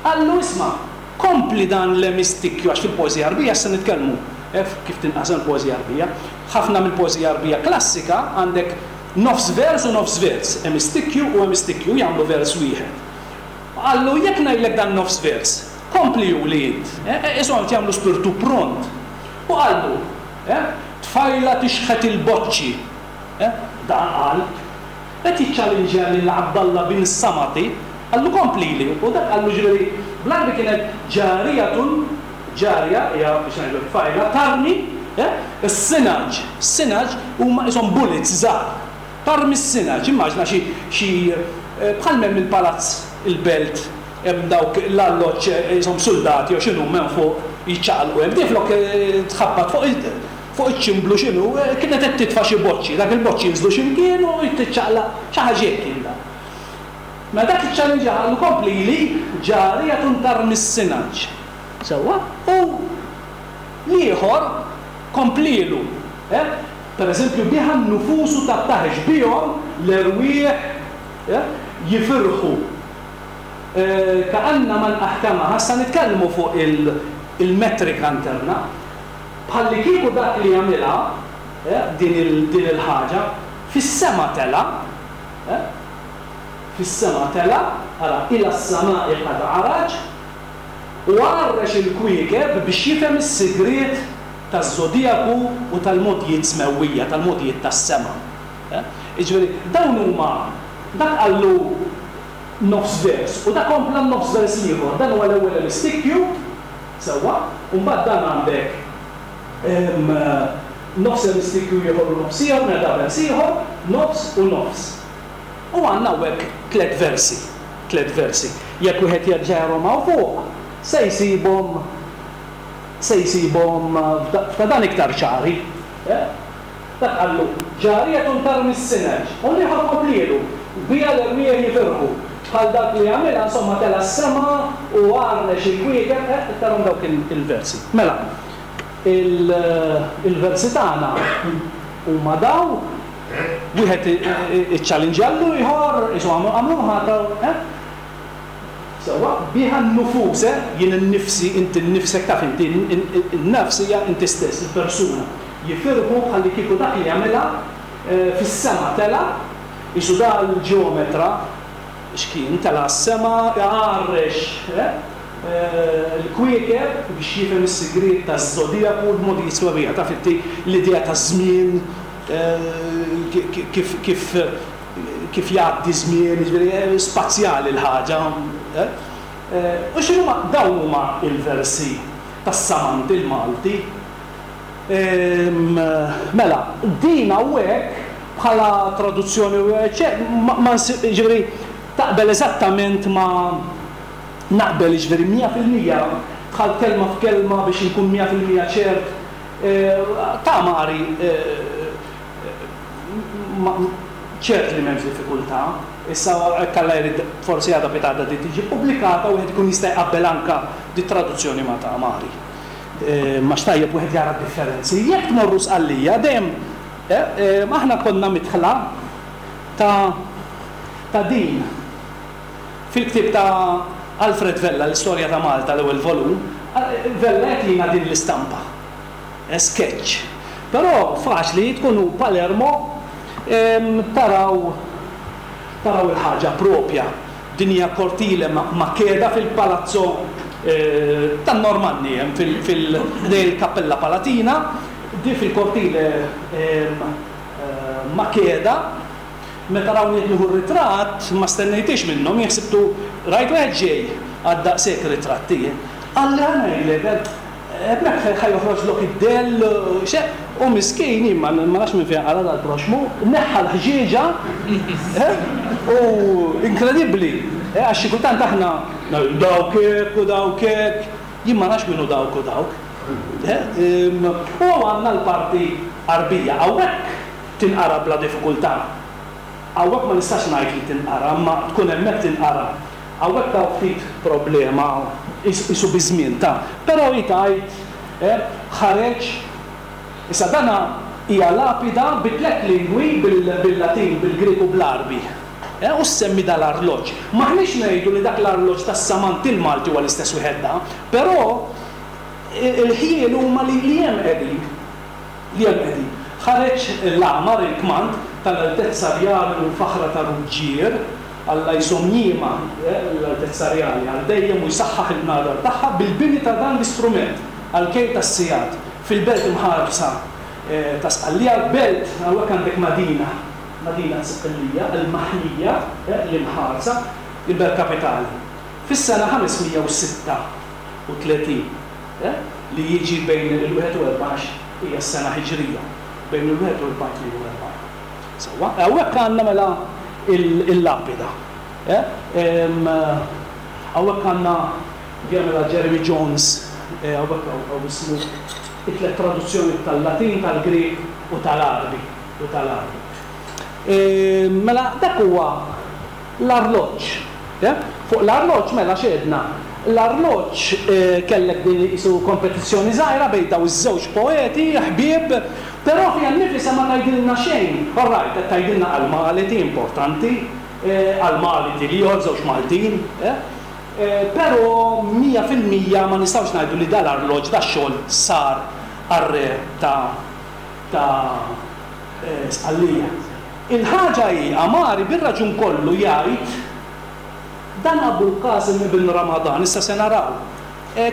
S2: Qallu isma', kompli dan l-emistikju, għax fil-poeżija Għarbija issa nitkellmu kif tinqasem il-poeżija Għarbija. Ħafna mill-poeżija Għarbija klassika għandek nofs vers u nofs vers, emistikju u emistikju jagħmlu vers wieħed. Qallu jekk ngħidlek dan nofs vers, kompli li int, ishom qed jagħmlu spirtu pront. U qallu, tfajla tixħet il-boċċi. Dan qal, qed jiċċallinġja lil Abdallah bin Samati, qallu komplili, u dak qallu ġifieri bl-Għarbi kienet ġarijatun, ġarja hija biex ngħidu tfajla, tarmi is-sinaġ, sinaġ huma ishom bullets żgħar. Tarmi s-sinaġ, immaġna xi xi bħal m'hemm il-palazz il-belt hemm dawk l-alloġġ ishom suldati jew x'inhu hemm fuq jiċċaqalqu hemm. Din flok tħabbat fuq fuq iċ-ċimblu x'inhu, kienet qed titfa' xi boċċi, dak il-boċċi jinżlu xi mkien u tiċċaqlaq xi ħaġa hekk kien dan. Mela dak iċ-challenge qallu komplili ġarijatun tarmi s-sinaġ. Sewwa? U l-ieħor komplilu, eh? Per eżempju, biha n-nufusu tattaħex, bihom l-erwieħ jifirħu. Ka'anna man aħkamaha, issa nitkellmu fuq il-metrika interna, bħallikieku dak li jagħmilha din il-ħaġa, fis-sema tela', fis-sema tela', ara, ila s-sama'i qad għaraj, u għarrex il-kwiekeb biex jifhem is-sigriet taż-żodijaku u tal-mogħdijiet smewwija, tal-mogħdijiet tas-sema. Jiġifieri dawn huma, dak qallu nofs vers u dak kompla n-nofs vers l-ieħor. Dan huwa l-ewwel emistikju, sewwa, u mbagħad dan għandek nofs emistikju ieħor u nofs ieħor, mela da vers ieħor, nofs u nofs. U għandna hawnhekk tliet versi, tliet versi. Jekk wieħed jerġa' jarahom hawn fuq, se jsibhom se jsibhom f'ta' dan iktar ċari. Dak qallu, ġarijatun tarmi s-sineġ, u l-ieħor komplielu, biha l-erwieħ jifirħu. Bħal dak li għamilha, insomma, tela' s-sema u għarrex il-kwiekeb, tarahom dawk il-versi. Mela, il-versi tagħna huma daw, wieħed iċċallinġja l-ieħor, isu għamluha ta' sewwa, biha n-nufus, jien innifsi, inti nnifsek taf inti, in-nafs hija inti stess, il-persuna. Jifirħu bħallikieku dak li jagħmilha fis-sema tela', isu da l-ġeometra x'kien tela' s-sema, għarrex l-kwiekeb biex jifhem is-sigriet taż-żodijaku u l-mogħdijiet smewwija. Taf inti l-idea taż-żmien, kif kif kif jgħaddi żmien, jiġifieri spazjali l-ħaġa. U x'inhuma dawn huma l-versi tas-Samanti l-Malti. Mela, din hawnhekk bħala traduzzjoni ma jiġifieri taqbel eżattament ma naqbel jiġifieri mija fil-mija dħalt kelma f'kelma biex inkun mija fil-mija ċert ta' Mari ċert li m'hemmx diffikultà. Issa hekk Alla jrid forsi għada pitgħada din tiġi ppubblikata u wieħed ikun jista' jqabbel anke di traduzzjoni ma' ta' Mari. Għax tajjeb wieħed jara d-differenzi. Jekk tmorru Sqallija dejjem aħna konna midħla ta' ta' din. Fil-ktieb ta' Alfred Vella, l-Istorja ta' Malta, l-ewwel volum, Vella jagħtina din l-istampa, sketch. Però faċli tkunu Palermo taraw taraw il-ħaġa propja. Din hija Cortile Makeda fil-Palazzo tan-Normanni hemm fil ħdejn il-Kappella Palatina, di fil-Cortile Makeda. Meta rawni qed nieħu r-ritratt ma stennejtix minnhom, jien ħsibtu rajt wieħed ġej għad daqshekk ritratti. Qalli ħa ngħidlek, hemmhekk ħa joħroġlok id-dell, xe, u miskin, jien ma nafx minn fejn qala dal-proxmu, neħħa l-ħġieġa, u inkredibbli, għax xi kultant aħna dawk hekk u dawk hekk, jien ma nafx min hu dawk u dawk. U għandna l-parti Għarbija, hawnhekk tinqara bla diffikultà. Hawnhekk ma nistax ngħid li tinqara, imma tkun hemmhekk tinqara. Hawnhekk hawn ftit problema, qisu biż-żmien ta'. Però hi tgħid, ħareġ, issa dana hija lapida bi tliet lingwi, bil-Latin, bil-Grieg u bl-Għarbi. U ssemmi dal-arloġġ. M'aħniex ngħidu li dak l-arloġġ tas-Samant il-Malti huwa l-istess wieħed da, però il-ħjiel huma li hemm qegħdin. Li hemm qegħdin. Ħareġ l-għamar, il-kmand, tal-Altezza Rjali u l-Faħra ta' Ruġġier, Alla jżomm jiemha l-Altezza Rjali għal dejjem u jsaħħaħ il-bnadar tagħha bil-bini ta' dan l-istrument għall-kejl tas-sigħat fil-belt imħarsa ta' Sqallija, belt, hawnhekk għandek Madina, Madina Sqallija, il-maħnija, l-imħarsa, il-belt kapitali, fis-sena ħames mija u sitta u tletin, li jiġi bejn il-wieħed u erbgħax hija s-sena Hiġrija, bejn il-wieħed u erbgħin tnejn u erbgħin. Sewwa, hawnhekk għandna mela il-lapida. Hawnhekk għandna mela Jeremy Jones, hawnhekk hawn ismu it-tliet traduzzjoni tal-Latin, tal-Grieg u tal-Għarbi, u tal-Għarbi. Mela dak huwa l-arloġġ. Fuq l-arloġġ mela x'għedna? L-arloġġ kellek din qisu kompetizzjoni żgħira bejn daw iż-żewġ poeti, ħbieb, però fiha nnifisha ma tgħidilna xejn. All right, qed tgħidilna għall-Malti importanti, għall-Malti l-ieħor żewġ Maltin, però mija fil-mija ma nistgħux ngħidu li dal-arloġġ dax-xogħol sar għar-re ta' ta' Sqallija. Il-ħaġa hi, Amari bir-raġun kollu jgħid dan Abul Qasim ibn Ramadan, issa se naraw,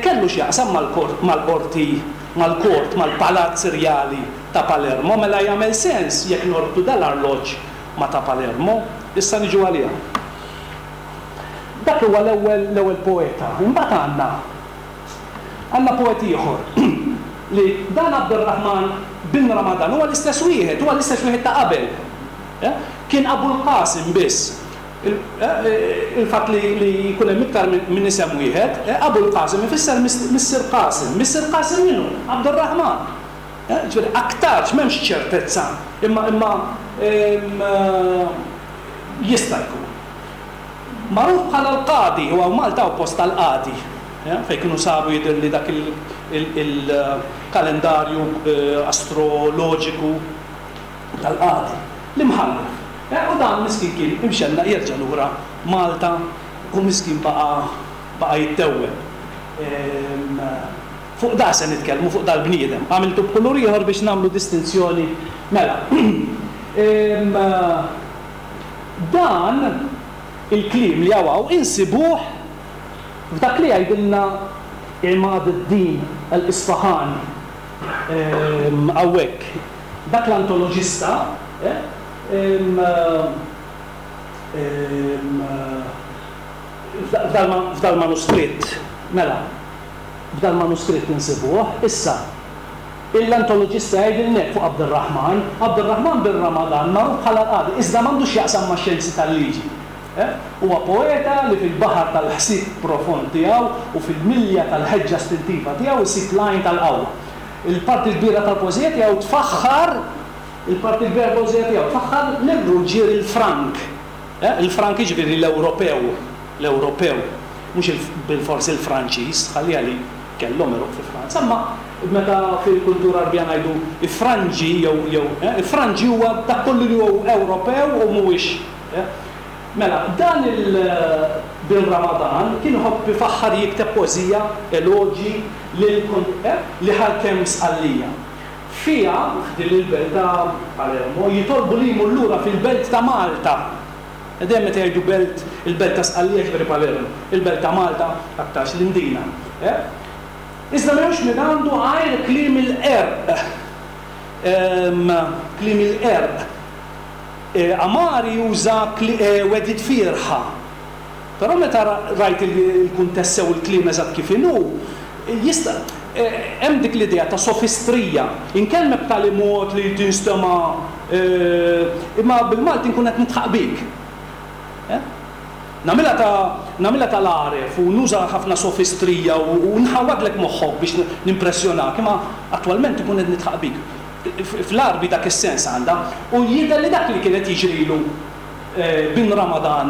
S2: kellu x'jaqsam mal-qorti, mal-kort, mal-palazz rjali ta' Palermo, mela jagħmel sens jekk norbtu dal-arloġġ ma' ta' Palermo, issa niġu għaliha. Dak huwa l-ewwel l-ewwel poeta. Imbagħad għandna għandna poet ieħor li dan Abdurrahman bin Ramadan huwa l-istess wieħed, huwa l-istess wieħed ta' qabel. Kien Abul Qasim biss. Il-fatt li jkun hemm iktar minn isem wieħed, Abul Qasim ifisser Missier Qasim. Missier Qasim minnu? Abdurrahman. Ġifieri aktarx m'hemmx ċertezza, imma imma jista' jkun. Magħruf bħala l-Qadi, u hawn Malta hawn post tal-Qadi, fejn kienu saru jidher li dak il-kalendarju astroloġiku tal-Qadi, l-imħallef. U dan miskin kien imxennaq jerġa' lura Malta u miskin baqa' baqa' jittewweb. Fuq da se nitkellmu, fuq dal-bniedem. Għamiltu b'kulur ieħor biex nagħmlu distinzjoni. Mela, dan il-kliem li hawn insibuh f'dak li jgħidilna Imad ad-Din al-Isfahani hawnhekk. Dak l-antoloġista f'dal-manuskritt, mela, f'dal-manuskritt insibuh, issa, l-antoloġista jgħidilna hekk fuq Abdurrahman, Abdurrahman bin Ramadan magħruf bħala l-Qadi, iżda m'għandux x'jaqsam max-xjenzi tal-liġi. Huwa poeta li fil-baħar tal-ħsieb profond tiegħu u fil-milja tal-ħeġġa istintiva tiegħu jsib l-għajn tal-qawwa. Il-parti l-kbira tal-poeżija tiegħu tfaħħar il-parti l-kbira tal-poeżija tiegħu tfaħħar lir-ruġġier il-Frank. Il-Frank jiġifieri l-Ewropew, l-Ewropew, mhux bilfors il-Franċiż, ħalliha li kellhom għeruq fi Franza, imma meta fil-kultura Għarbija ngħidu ifranġi jew jew ifranġi huwa dak kollu li huwa Ewropew u mhuwiex. Mela, dan il-bin Ramadan kien iħobb ifaħħar jikteb poeżija, eloġi lil li ħakem Sqallija. Fiha, f'din il-belt ta' Palermo, jitolbu li jmur lura fil-belt ta' Malta. Dejjem meta jgħidu belt, il-belt ta' Sqallija ġifieri Palermo, il-belt ta' Malta aktarx l-Imdina. Iżda m'hemmx min għandu għajr kliem il-qerq. Kliem il-qerq. Amari juża wedid fierħa. Però meta rajt il-kuntest sew il-kliem eżatt kif inhu, Jista' hemm dik l-idea ta' sofistrija, inkellmek b'tali mod li tinstema', imma bil-Malti nkun qed nidħaq bik. Nagħmilha ta' nagħmilha tal-għaref u nuża ħafna sofistrija u nħawwadlek moħħok biex nimpressjonak, imma attwalment ikun qed nidħaq bik. Fl-Għarbi dak is-sens għandha, u jidher li dak li kien qed jiġrilu bin Ramadan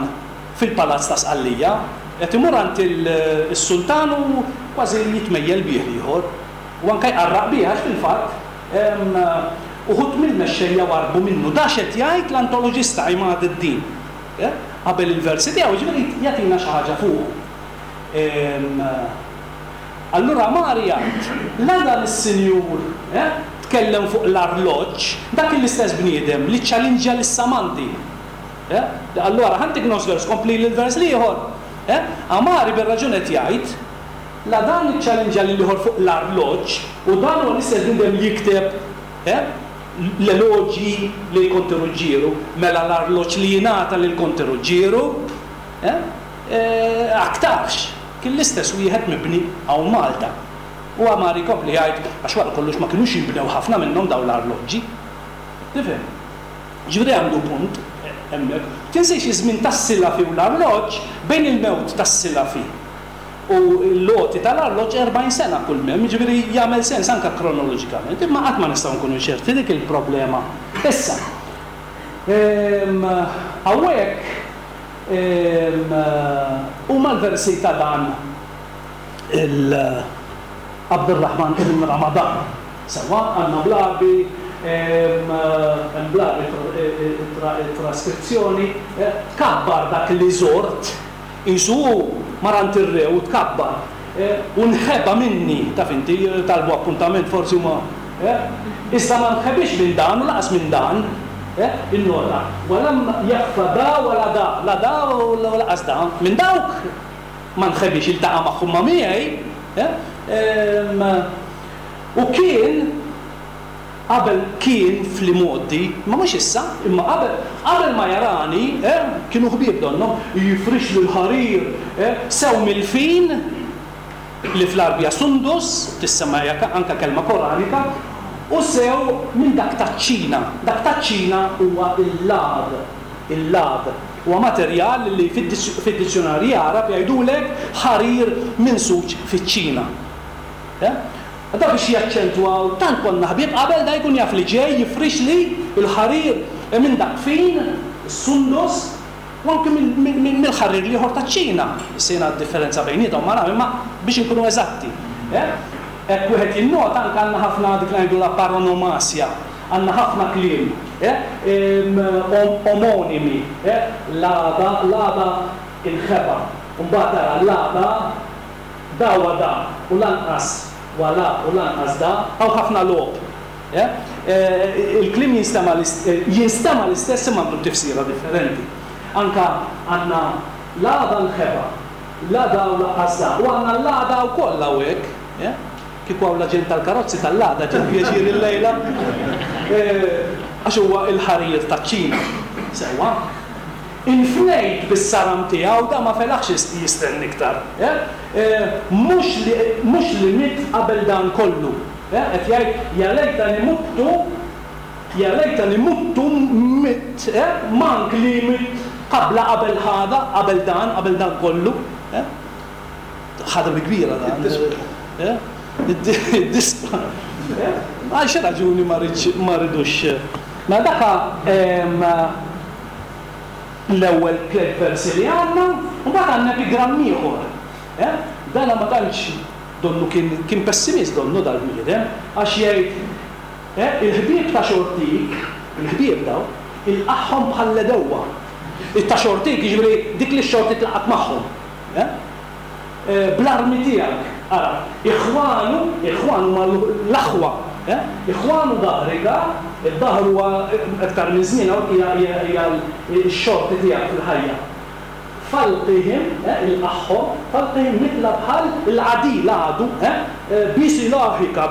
S2: fil-palazz ta' Sqallija, qed imur għand is-sultan u kważi jitmejjel bih l-ieħor, u anke jqarraq bih għax fil-fatt uħud mill-mexxejja warrbu minnu. Da x'qed jgħid l-antoloġista Imad id-Din qabel il-versi tiegħu, jiġifieri jagħtina xi ħaġa fuqu. Allura Mari jgħid, la dan is-sinjur tkellem fuq l-arloġġ, dak l-istess bniedem li ċċalinġja lis-Samandi. Allura ħa ntik nofs vers, kompli l-vers l-ieħor. Amari bir-raġun qed jgħid, la dan iċċalinġja lill-ieħor fuq l-arloġġ, u dan huwa l-istess bniedem li jikteb l-eloġji lil Konti Ruġġieru, mela l-arloġġ li jingħata lil Konti Ruġġieru aktarx kien l-istess wieħed mibni hawn Malta. U Amari jkompli jgħid, għax wara kollox ma kinux jinbnew ħafna minnhom dawn l-arloġġi. Tifhem? Ġifieri għandu punt hemmhekk. Tinsiex iż-żmien tas-Silafi u l-arloġġ, bejn il-mewt tas-Silafi u l-għoti tal-arloġġ erbgħin sena kull m'hemm, jiġifieri jagħmel sens anke kronoloġikament, imma qatt ma nistgħu nkunu ċerti, dik il-problema. Issa, hawnhekk huma l-versi ta' dan il Abdurrahman ibn Ramadan. Sewwa, għandna bl-Għarbi, hemm bl-Għarbi traskrizzjoni, tkabbar dak li żort, qisu hu mar għand ir-re u tkabbar, u nħeba minni, taf inti, talbu appuntament forsi huma, iżda ma nħebix minn dan u laqas minn dan, innota, walam jakhfa da wala da, la da u laqas da, minn dawk ma nħebix, iltaqa' magħhom ma' miegħi, u kien qabel kien fl-imgħoddi, ma mhux issa, imma qabel qabel ma jarani, kienu ħbieb donnhom, jifrixlu l-ħarir sew mill-fin li fl-Arbja sundus, tissemma anke kelma koranika, u sew minn dak taċ-Ċina. Dak taċ-Ċina huwa il-lad, il-lad. Huwa materjal li fid-dizzjonarji Għarab jgħidulek ħarir minsuġ fiċ-Ċina. Da biex jaċċentwaw, tant konna ħbieb qabel da jkun jaf li ġej jifrix li l-ħarir minn dak fin, is-sundus, u anke mill-ħarir l-ieħor taċ-Ċina. Issa jiena d-differenza bejniethom ma naf, imma biex inkunu eżatti. Hekk wieħed jinnota anke għandna ħafna dik li ngħidulha paronomasja, għandna ħafna kliem omonimi, l-għada, l-għada inħeba, u mbagħad tara l-għada da wa da u lanqas wala u lanqas da, hawn ħafna logħob. Il-kliem jinstema' jinstema' l-istess imma għandu tifsira differenti. Anka għandna l-għada nħeba, l-għada u lanqas da, u għandna l-għada wkoll hawnhekk. Kieku hawn l-aġent tal-karozzi tal-għada ġie pjaċir illejla, għax huwa l-ħarir taċ-Ċina. Sewwa. Infnejt bis-saram tiegħu da ma felaħx jistenni iktar. Mhux li mitt qabel dan kollu. Qed jgħid ja lejtani muttu, ja lejtani muttu mitt, mank li mitt qabla qabel ħada, qabel dan, qabel dan kollu. Ħada bi kbira dan. Id-dispa. Għal xi raġuni ma rridux. Ma daka l-ewwel tliet versi li għandna, u mbagħad għandna epigramm ieħor. Dana ma tantx donnu kien kien pessimist donnu dal-bniedem, għax jgħid il-ħbieb ta' xortik, il-ħbieb daw, ilqagħhom bħall-edewwa. Ta' xortik jiġifieri dik li x-xorti tlaqgħet magħhom. Bl-armi tiegħek, ara, iħwanu, iħwanu ma l-aħwa, iħwanu dahrika, id-dahr huwa aktar minn żmien hawn hija x-xorti tiegħek fil-ħajja. Falqihim, il-aħħom, falqihim mitla bħal il-għadi, l-għadu, bisilahika,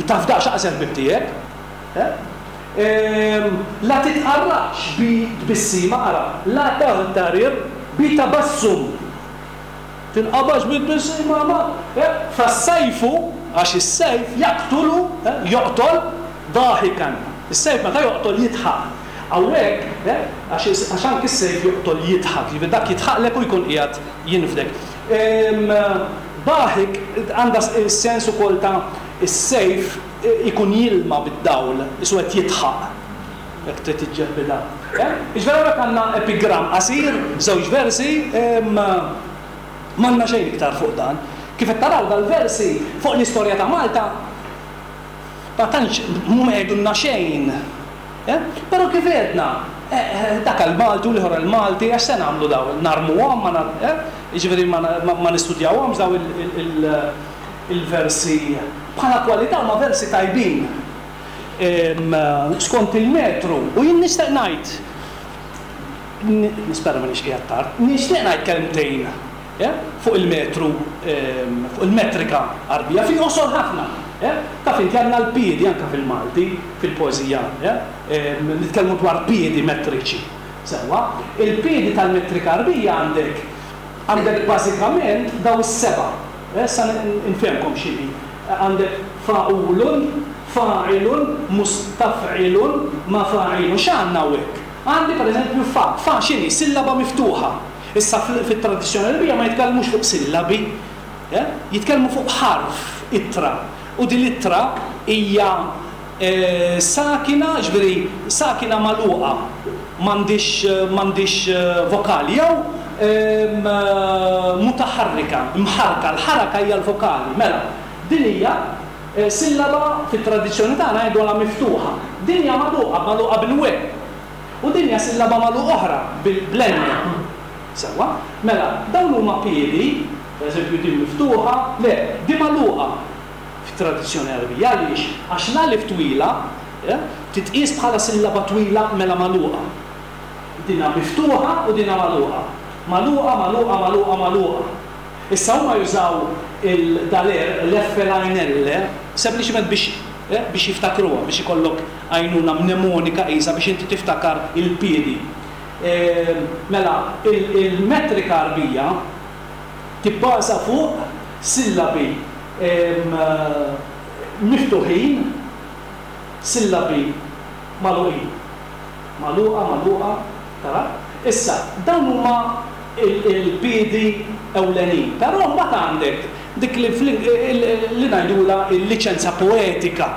S2: tafdax aqsel ħbib tiegħek. La titqarraqx bi tbissima, ara, la taghtarir bi tabassum. Tinqabax bit-tbissima ma. Fas-sajfu, għax is-sejf jaqtulu, joqtol dahikan. Is-sejf meta joqtol jidħaq. Hawnhekk, għax anki s-sejf joqtol jidħak, jiġifieri dak jidħaqlek u jkun qiegħed jinfdek. Daħik għandha s-sens ukoll ta' is-sejf ikun jilma bid-dawl, isu qed jidħaq. Jekk trid tiġġebbidha. Jiġifieri hawnhekk għandna epigramm qasir, żewġ versi, m'għandna xejn iktar fuq dan. Kif qed taraw dal-versi fuq l-istorja ta' Malta ma tantx mhuma jgħidulna xejn. Però kif għedna, dak għall-Malti u l-ieħor għall-Malti, għax se nagħmlu dawn? Narmuhom, jiġifieri ma nistudjawhomx dawn il-versi. Bħala kwalità huma versi tajbin skont il-metru. U jien nixtieq ngħid, nispera m'iniex qiegħed tard, nixtieq ngħid kelmtejn fuq il-metru, fuq il-metrika Għarbija, fil-qosor ħafna. Taf inti għandna l-piedi anke fil-Malti, fil-poeżija, nitkellmu dwar piedi metriċi. Sewwa, il-piedi tal-metrika Għarbija għandek għandek bażikament daw is-seba'. Issa nfehmkom x'inhi. Għandek fa'ulun, fa'ilun, mustaf'ilun, mafa'ilun. X'għandna hawnhekk? Għandi pereżempju fa. Fa x'inhi? Sillaba miftuħa. Issa fit-tradizzjoni Għarbija ma jitkellmux fuq sillabi, jitkellmu fuq ħarf, ittra. U din l-ittra hija sakina, ġifieri sakina magħluqa, m'għandix m'għandix vokali, jew mutaħarrika, mħarrka, l-ħaraka hija l-vokali. Mela, din hija sillaba fit-tradizzjoni tagħna ngħidulha miftuħa. Din hija magħluqa, magħluqa bil-we. U din hija sillaba magħluqa oħra bil-blenne. Sewwa? Mela, dawn huma piedi, pereżempju din miftuħa, le, din magħluqa fit-tradizzjoni Għarbija. Għaliex? Għax l-alif twila titqies bħala sillaba twila mela magħluqa. Dinha miftuħa u dinha magħluqa. Magħluqa, magħluqa, magħluqa, magħluqa. Issa huma jużaw il-daler, l-F L I N L, sempliċement biex biex jiftakruha, biex ikollok għajnuna mnemonika qisha biex inti tiftakar il-piedi. Mela, il-metrika Għarbija tibbaża fuq sillabi miftuħin, sillabi magħluqin. Magħluqa, magħluqa, tara? Issa, dawn huma il-piedi ewlenin. Però mbagħad għandek dik li li ngħidulha l-liċenza poetika.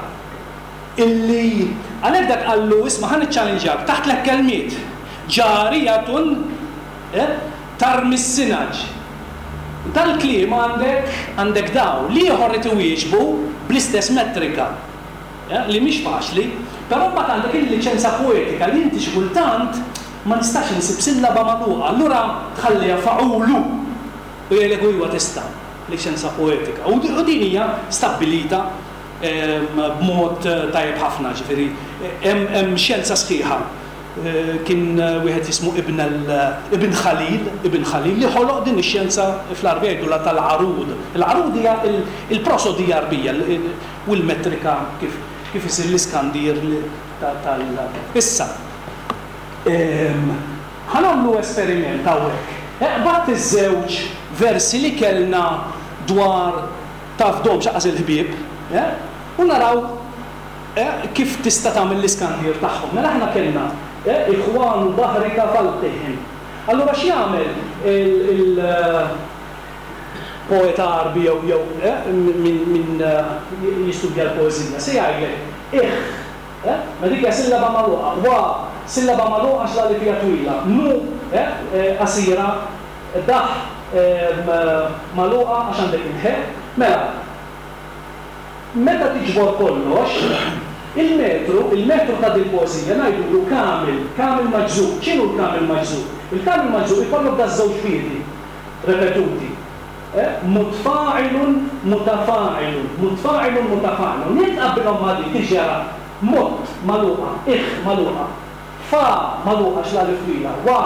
S2: Illi għalhekk dak qallu isma' ħa niċċallenġjak taħt tliet kelmiet. Ġarijatun tarmi s-sinaġ. Dal-kliem għandek għandek daw li ieħor irid iwieġbu bl-istess metrika. Li mhix faċli, però mbagħad għandek il-liċenza poetika li inti xi kultant ma nistax insib sillaba magħluqa, allura tħalliha fa'ulu u jgħidlek iwa tista' liċenza poetika. U din hija stabbilita b'mod tajjeb ħafna, ġifieri hemm xjenza sħiħa. Kien wieħed jismu Ibn Ibn Khalil, Ibn Khalil li ħoloq din ix-xjenza fl-Għarbija jgħidulha tal-Arud. Il-Arud hija il-prosodija Għarbija u l-metrika kif kif isir l-iskandir tal. Issa, ħa nagħmlu esperiment hawnhekk. Eqbad iż-żewġ versi li kellna dwar taf dom x'aqas il-ħbieb, u naraw kif tista' tagħmel l-iskandir tagħhom. Mela aħna kellna ikhwanu dahrika falqihim. Allura x'jagħmel il-poeta Għarbi jew jew min jistudja l-poeżija? Se jgħidlek ikh, ma dik hija sillaba magħluqa, wa sillaba magħluqa għax l-alif hija twila, nu qasira, dah magħluqa għax għandek il-ħe. Mela, meta tiġbor kollox, il-metru, il-metru ta' dil-poeżija ngħidulu kamil, kamil maġżuq. X'inhu l-kamil maġżuq? Il-kamil maġżuq ikollok da żewġ piedi repetuti. Mutfa'ilun, mutafa'ilun, mutfa'ilun, mutafa'ilun. Jekk tqabbilhom ma' dik tiġi mut magħluqa, ikh magħluqa, fa magħluqa għax l-alif twila, wa,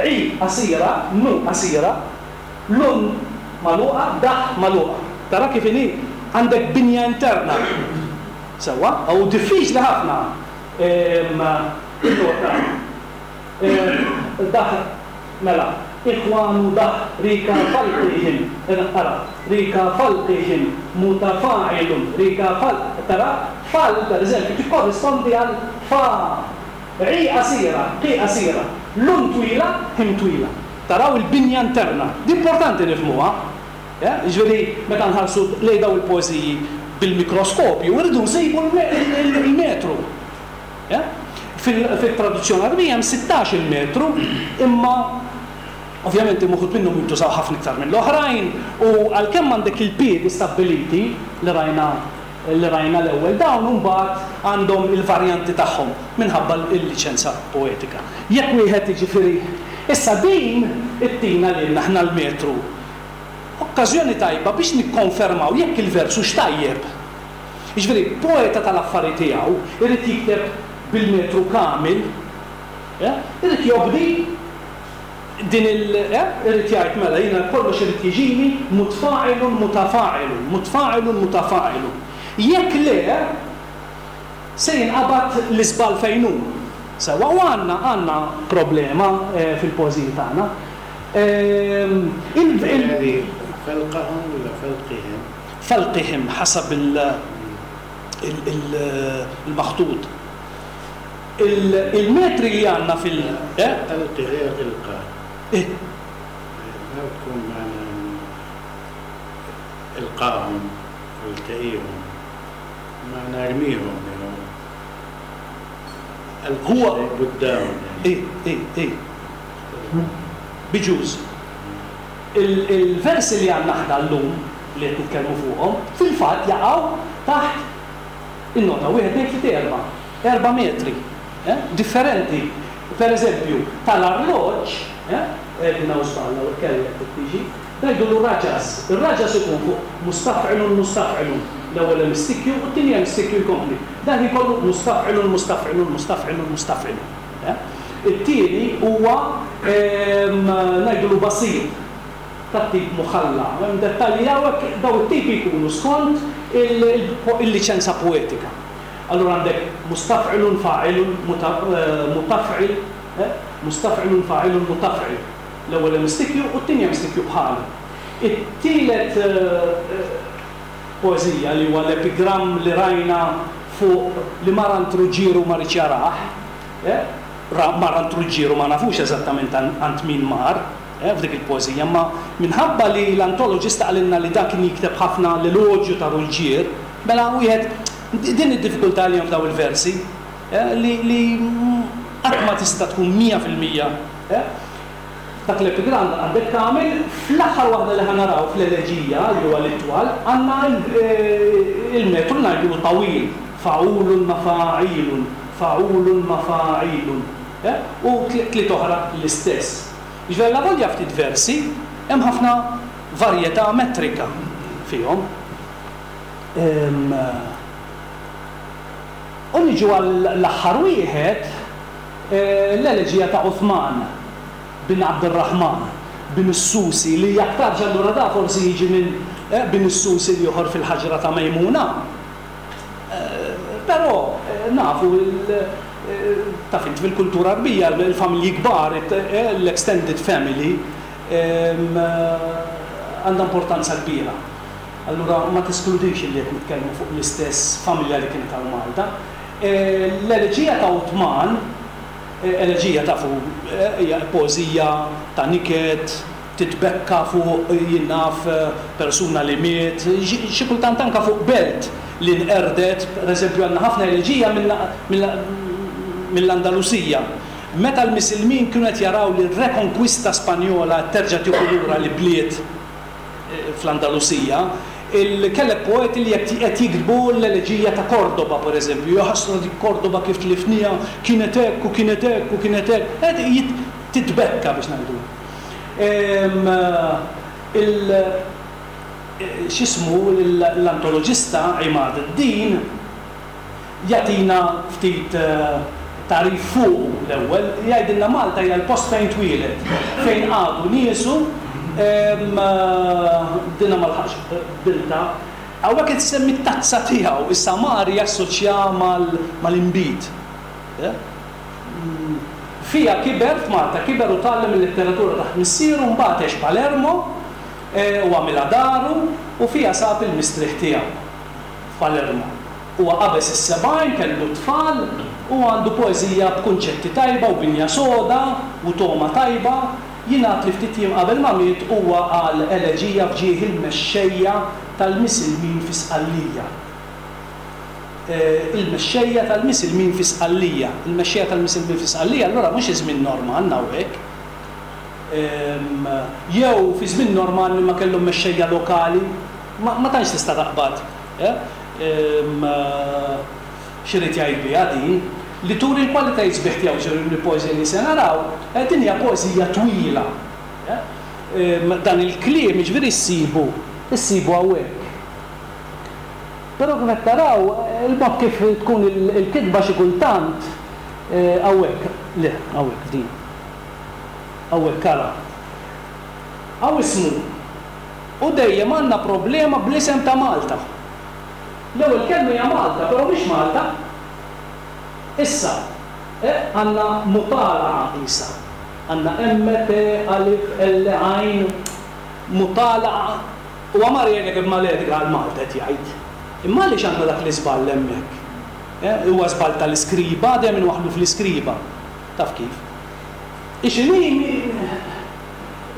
S2: i qasira, nu qasira, lun magħluqa, dah magħluqa. Tara kif inhi għandek binja interna. Sewwa, u diffiċli ħafna. Dah, mela, Ikhwanu dahrika falqihim, ara, rika falqihim mutafa'ilun, rika fal, tara, fal per eżempju tikkorrispondi għal fa, ri qasira, qi qasira, lun twila, him twila. Taraw il-binja interna, di importanti nifhmuha. Jiġifieri meta nħarsu lejn dawn il-poeżiji bil-mikroskopju, irridu nsibu l-metru. Fil-traduzzjoni Għarbija hemm sittax-il metru, imma ovvjament hemm uħud minnhom jintużaw ħafna iktar mill-oħrajn, u għalkemm għandek il-piedi stabbiliti li rajna li rajna l-ewwel, dawn imbagħad għandhom il-varjanti tagħhom minħabba l-liċenza poetika. Jekk wieħed jiġifieri issa din ittina lilna aħna l-metru okkażjoni tajba biex nikkonfermaw jekk il-vers hux tajjeb. Jiġifieri poeta tal-affari tiegħu irid jikteb bil-metru kamil, irid jobdi din il, irid jgħid mela jiena kollox irid jiġini mutfa'ilun mutafa'ilun, mutfa'ilun mutafa'ilun. Jekk le, se jinqabad l-iżball fejn hu. Sewa, u għandna, għandna problema fil-poeżiji tagħna. Il, il,
S3: Falqahum wala falqihim?
S2: Falqihim ħasab il-maħtut. Il-metri li għandna fil-, eh?
S3: Alqi غير إلقاء.
S2: إيه.
S3: ما بتكون معنا إلقاهم والتئيهم، معنا ارميهم يعني.
S2: هو
S3: قدامهم يعني.
S2: إيه، إيه، إيه. بجوز. ال-vers li għandna aħna llum li qed nitkellmu fuqhom, fil-fatt jaqgħu taħt in-nota wieħed, tnejn, tlieta, erba'. Erba' metri, eh? Differenti. Per eżempju, tal-arloġġ, eh? Din hawn żball, hawn kellek tiġi, ngħidulu raġas. Ir-raġas ikun fuq mustaf'ilun mustaf'ilun. L-ewwel hemm istikju u t-tieni hemm istikju jkompli. Dan ikollu mustaf'ilun mustaf'ilun mustaf'ilun mustaf'ilun. Eh? It-tieni huwa, ehm, ngħidulu basir tat-tip muħalla. Hemm dettalji hawnhekk daw it-tipi jkunu skont il-liċenza poetika. Allura għandek mustaf'ilun fa'ilun mutaf'il, eh? Mustaf'ilun fa'ilun mutaf'il. L-ewwel hemm istikju u t-tieni hemm istikju bħalu. It-tielet, eh, poeżija li huwa l-epigramm li rajna fuq li mar għand Ruġġieru ma rridx jarah, eh? Mar għand Ruġġieru ma nafux eżattament għand min mar, eh, f'dik il-poeżija, ma minħabba li l-antologista qalilna li dak kien jikteb ħafna l-eloġju ta' Ruġġier, mela wieħed din id-diffikultà li hemm f'daw il-versi, eh, li, li qatt ma tista' tkun mija fil-mija, eh? Dak l-epigramm għandek tagħmel fl-aħħar waħda li ħanaraw fl-eleġija li huwa l-itwal, għandna il-metru ngħidulu tawil, fa'ulun mafa'ilun, fa'ulun mafa'ilun, eh? U tliet oħra l-istess. Jiġifieri la volja ftit versi, hemm ħafna varjetà metrika fihom. Ehm, u niġu għall-aħħar wieħed, eh, l-eleġija ta' Uthman bin Abdurrahman bin Is-Susi, li aktarx allura da forsi jiġi minn, eh, bin Is-Susi li joħor fil-ħaġra ta' Mejmuna. Eh, però, eh, nafu il, eh, taf int fil-kultura Arbija, il-familji kbar, eh, l-extended family, ehm, għandha importanza kbira. Allura ma teskludix li qed nitkellmu fuq l-istess familja li kienet hawn Malta. Eh, l-eleġija ta' Uthman, eh, eleġija tafu, eh, hija poeżija ta' niket, titbekka fuq jien naf, eh, persuna li miet, xi, xi kultant anka fuq belt li nqerdet, per eżempju għandna ħafna eleġija mill-Andalusija. Meta l-Misilmin kienu qed jaraw li r-rekonkwista Spanjola terġa' tieħu lura li bliet, eh, fl-Andalusija, il-kellek poeti li qed jiktbu l-eleġija ta' Cordoba, per eżempju, jaħasra dik Cordoba kif tlifnija, kienet hekk u kienet hekk u kienet hekk, qed titbekka biex ngħidu. Ehm, il-, x'ismu l-antologista Imad Din jagħtina ftit, eh, tarif fuq l-ewwel, jgħidilna Malta hija l-post fejn twieled, fejn għadu niesu, ehm, dina ma lħaqx bilta. Hawnhekk qed isemmi t-tazza tiegħu, issa Mari jassoċja mal-inbid. Eh? Fiha kiber f'Malta, kiber u tgħallem il-letteratura taħt missieru, mbagħad għex Palermo u għamilha daru u fiha sab il-mistrieħ tiegħu f'Palermo. Huwa qabeż is-sebgħin, kellu tfal u għandu poeżija b'kunċetti tajba u binja soda u togħma tajba. Jingħad li ftit jiem qabel ma miet huwa qal eleġija f'ġieħ il-mexxejja tal-Misilmin fi Sqallija. Il-mexxejja tal-Misilmin fi Sqallija. Il-mexxejja tal-Misilmin fi Sqallija allura mhux iż-żmien Normann hawnhekk. Jew fi żmien Normanni ma kellhom mexxejja lokali, ma tantx tista' taqbad. X'irid jgħid biha din? Li turi l-kwalitajiet sbieħ tiegħu, ġifieri l-poeżija li se naraw, din hija poeżija twila. Dan il-kliem jiġifieri ssibu, issibu hawnhekk. Però kif qed taraw, il-mod kif tkun il-kitba xi kultant hawnhekk, le, hawnhekk f'din. Hawnhekk ara. Hawn ismu. U dejjem għandna problema bl-isem ta' Malta. L-ewwel kelma hija Malta, però mhix Malta. Issa, għandna mutala'a qisha. Għandna M, T, alif, L, għajn, mutala'a. Huwa mar jgħidlek b'maledika għal Malta qed jgħid. Imma għaliex għandna dak l-iżball hemmhekk? Huwa żball tal-iskriba, dejjem inwaħħlu fl-iskriba. Taf kif? Ixini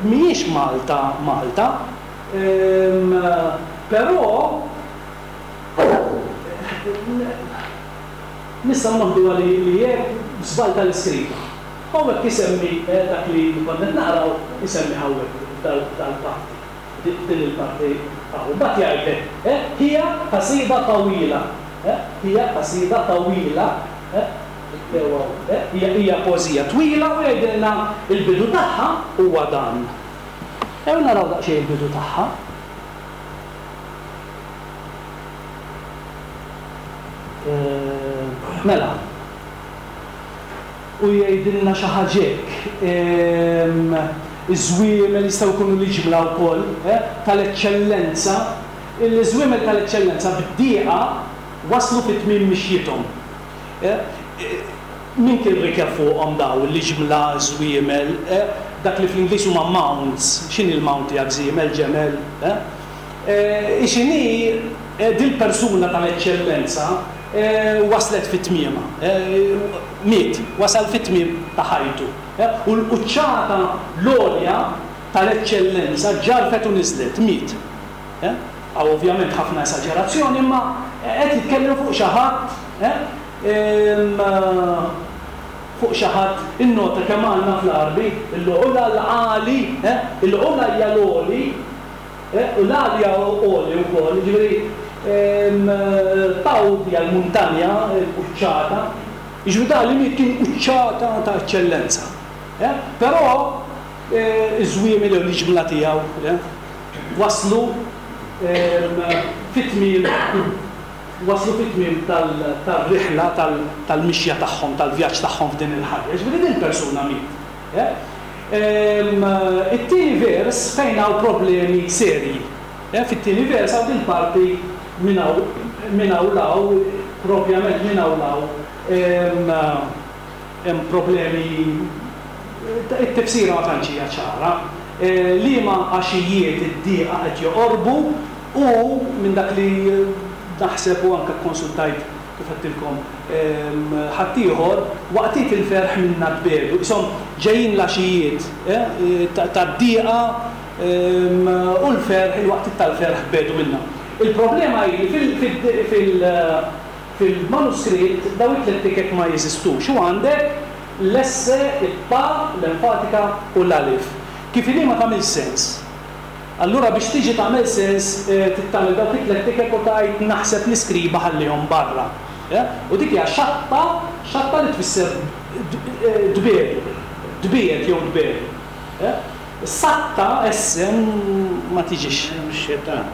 S2: mhijiex Malta Malta, però nistgħu noħduha li li hekk żball tal-iskriba. Hawnhekk isemmi dak li konna qed naqraw isemmi hawnhekk dal-parti, din il-parti hawn. Mbagħad jgħidlek hija qasida tawila, hija qasida tawila, hija hija poeżija twila u jgħidilna l-bidu tagħha huwa dan. Ejjew naraw daqsxejn il-bidu tagħha. Mela, u jgħidilna xi ħaġa hekk, iż-żwiemel jistgħu jkunu l-iġmla wkoll, tal-eċċellenza, il-żwiemel tal-eċċellenza bid-dieqa waslu fi tmiem mixjithom. Min kien rikeb fuqhom daw l-iġmla, żwiemel, dak li fl-Ingliż huma mounts, x'inhi l-mount tiegħek żiemel, ġemel, x'inhi dil-persuna tal-eċċellenza waslet fi tmiemha, miet, wasal fi tmiem ta' ħajtu. U l-quċċata l-għolja tal-eċċellenza ġarfet u niżlet, miet. Hawn ovvjament ħafna esaġerazzjoni, imma qed jitkellem fuq xi ħadd, fuq xi ħadd, innota kemm għandna fl-Għarbi, il-għula l-għali, il-għula hija l-għoli, u l-għalja għoli wkoll, jiġifieri Tawd hija l-muntanja, l-quċċata, jiġifieri dan li miet kien quċċata ta' eċċellenza. Però iż-żwiemel jew l-iġmla tiegħu waslu fit-tmiem waslu fit-tmiem tar-riħla tal-mixja tagħhom, tal-vjaġġ tagħhom f'din il-ħajja. Jiġifieri din il-persuna miet. It-tieni vers fejn hawn problemi serji. Fit-tieni vers hawn din parti minn hawn minn hawn 'l hawn, propjament minn hawn 'l hawn hemm problemi, it-tifsira ma tantx hija ċara. Liema għaxijiet id-dieqa qed joqorbu u minn dak li naħseb u anke kkonsultajt kif għedtilkom ħaddieħor, waqtiet il-ferħ minna tbiegħdu. Qishom ġejjin l-għaxijiet tad-dieqa u l-ferħ, il-waqtiet tal-ferħ tbiegħdu minna. Il-problema hi li fil-manuskritt dawn it-tliet tikek ma jeżistux u għandek l-esse, it-ta, l-enfatika u l-alif. Kif inhi ma tagħmilx sens. Allura biex tiġi tagħmel sens trid tagħmel dawk it-tliet tikek u tgħid naħseb l-iskriba ħallihom barra. U dik hija xatta, xatta li tfisser tbiegħdu, tbiegħed jew tbiegħdu. Satta, esse, ma tiġix.
S3: Hemm ix-xitan.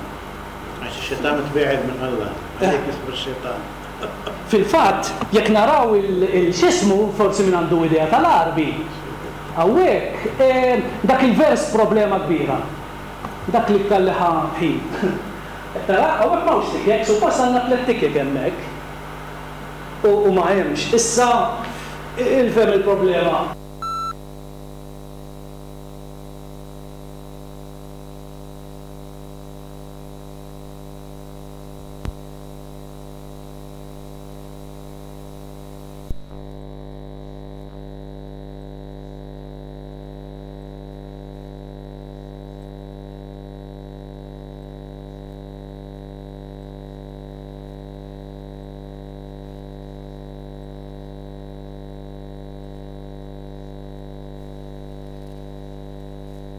S3: Għax ix-xitan tbiegħed minn Alla, għalhekk ismu x-xitan.
S2: Fil-fatt, jekk naraw il-x'ismu, forsi min għandu idea tal-Għarbi, hawnhekk dak il-vers problema kbira. Dak l-iktar li ħa ħin. Tara, hawnhekk m'hawnx tikek, suppost għandna tliet tikek hemmhekk. U ma hemmx. Issa, il-fhem il-problema.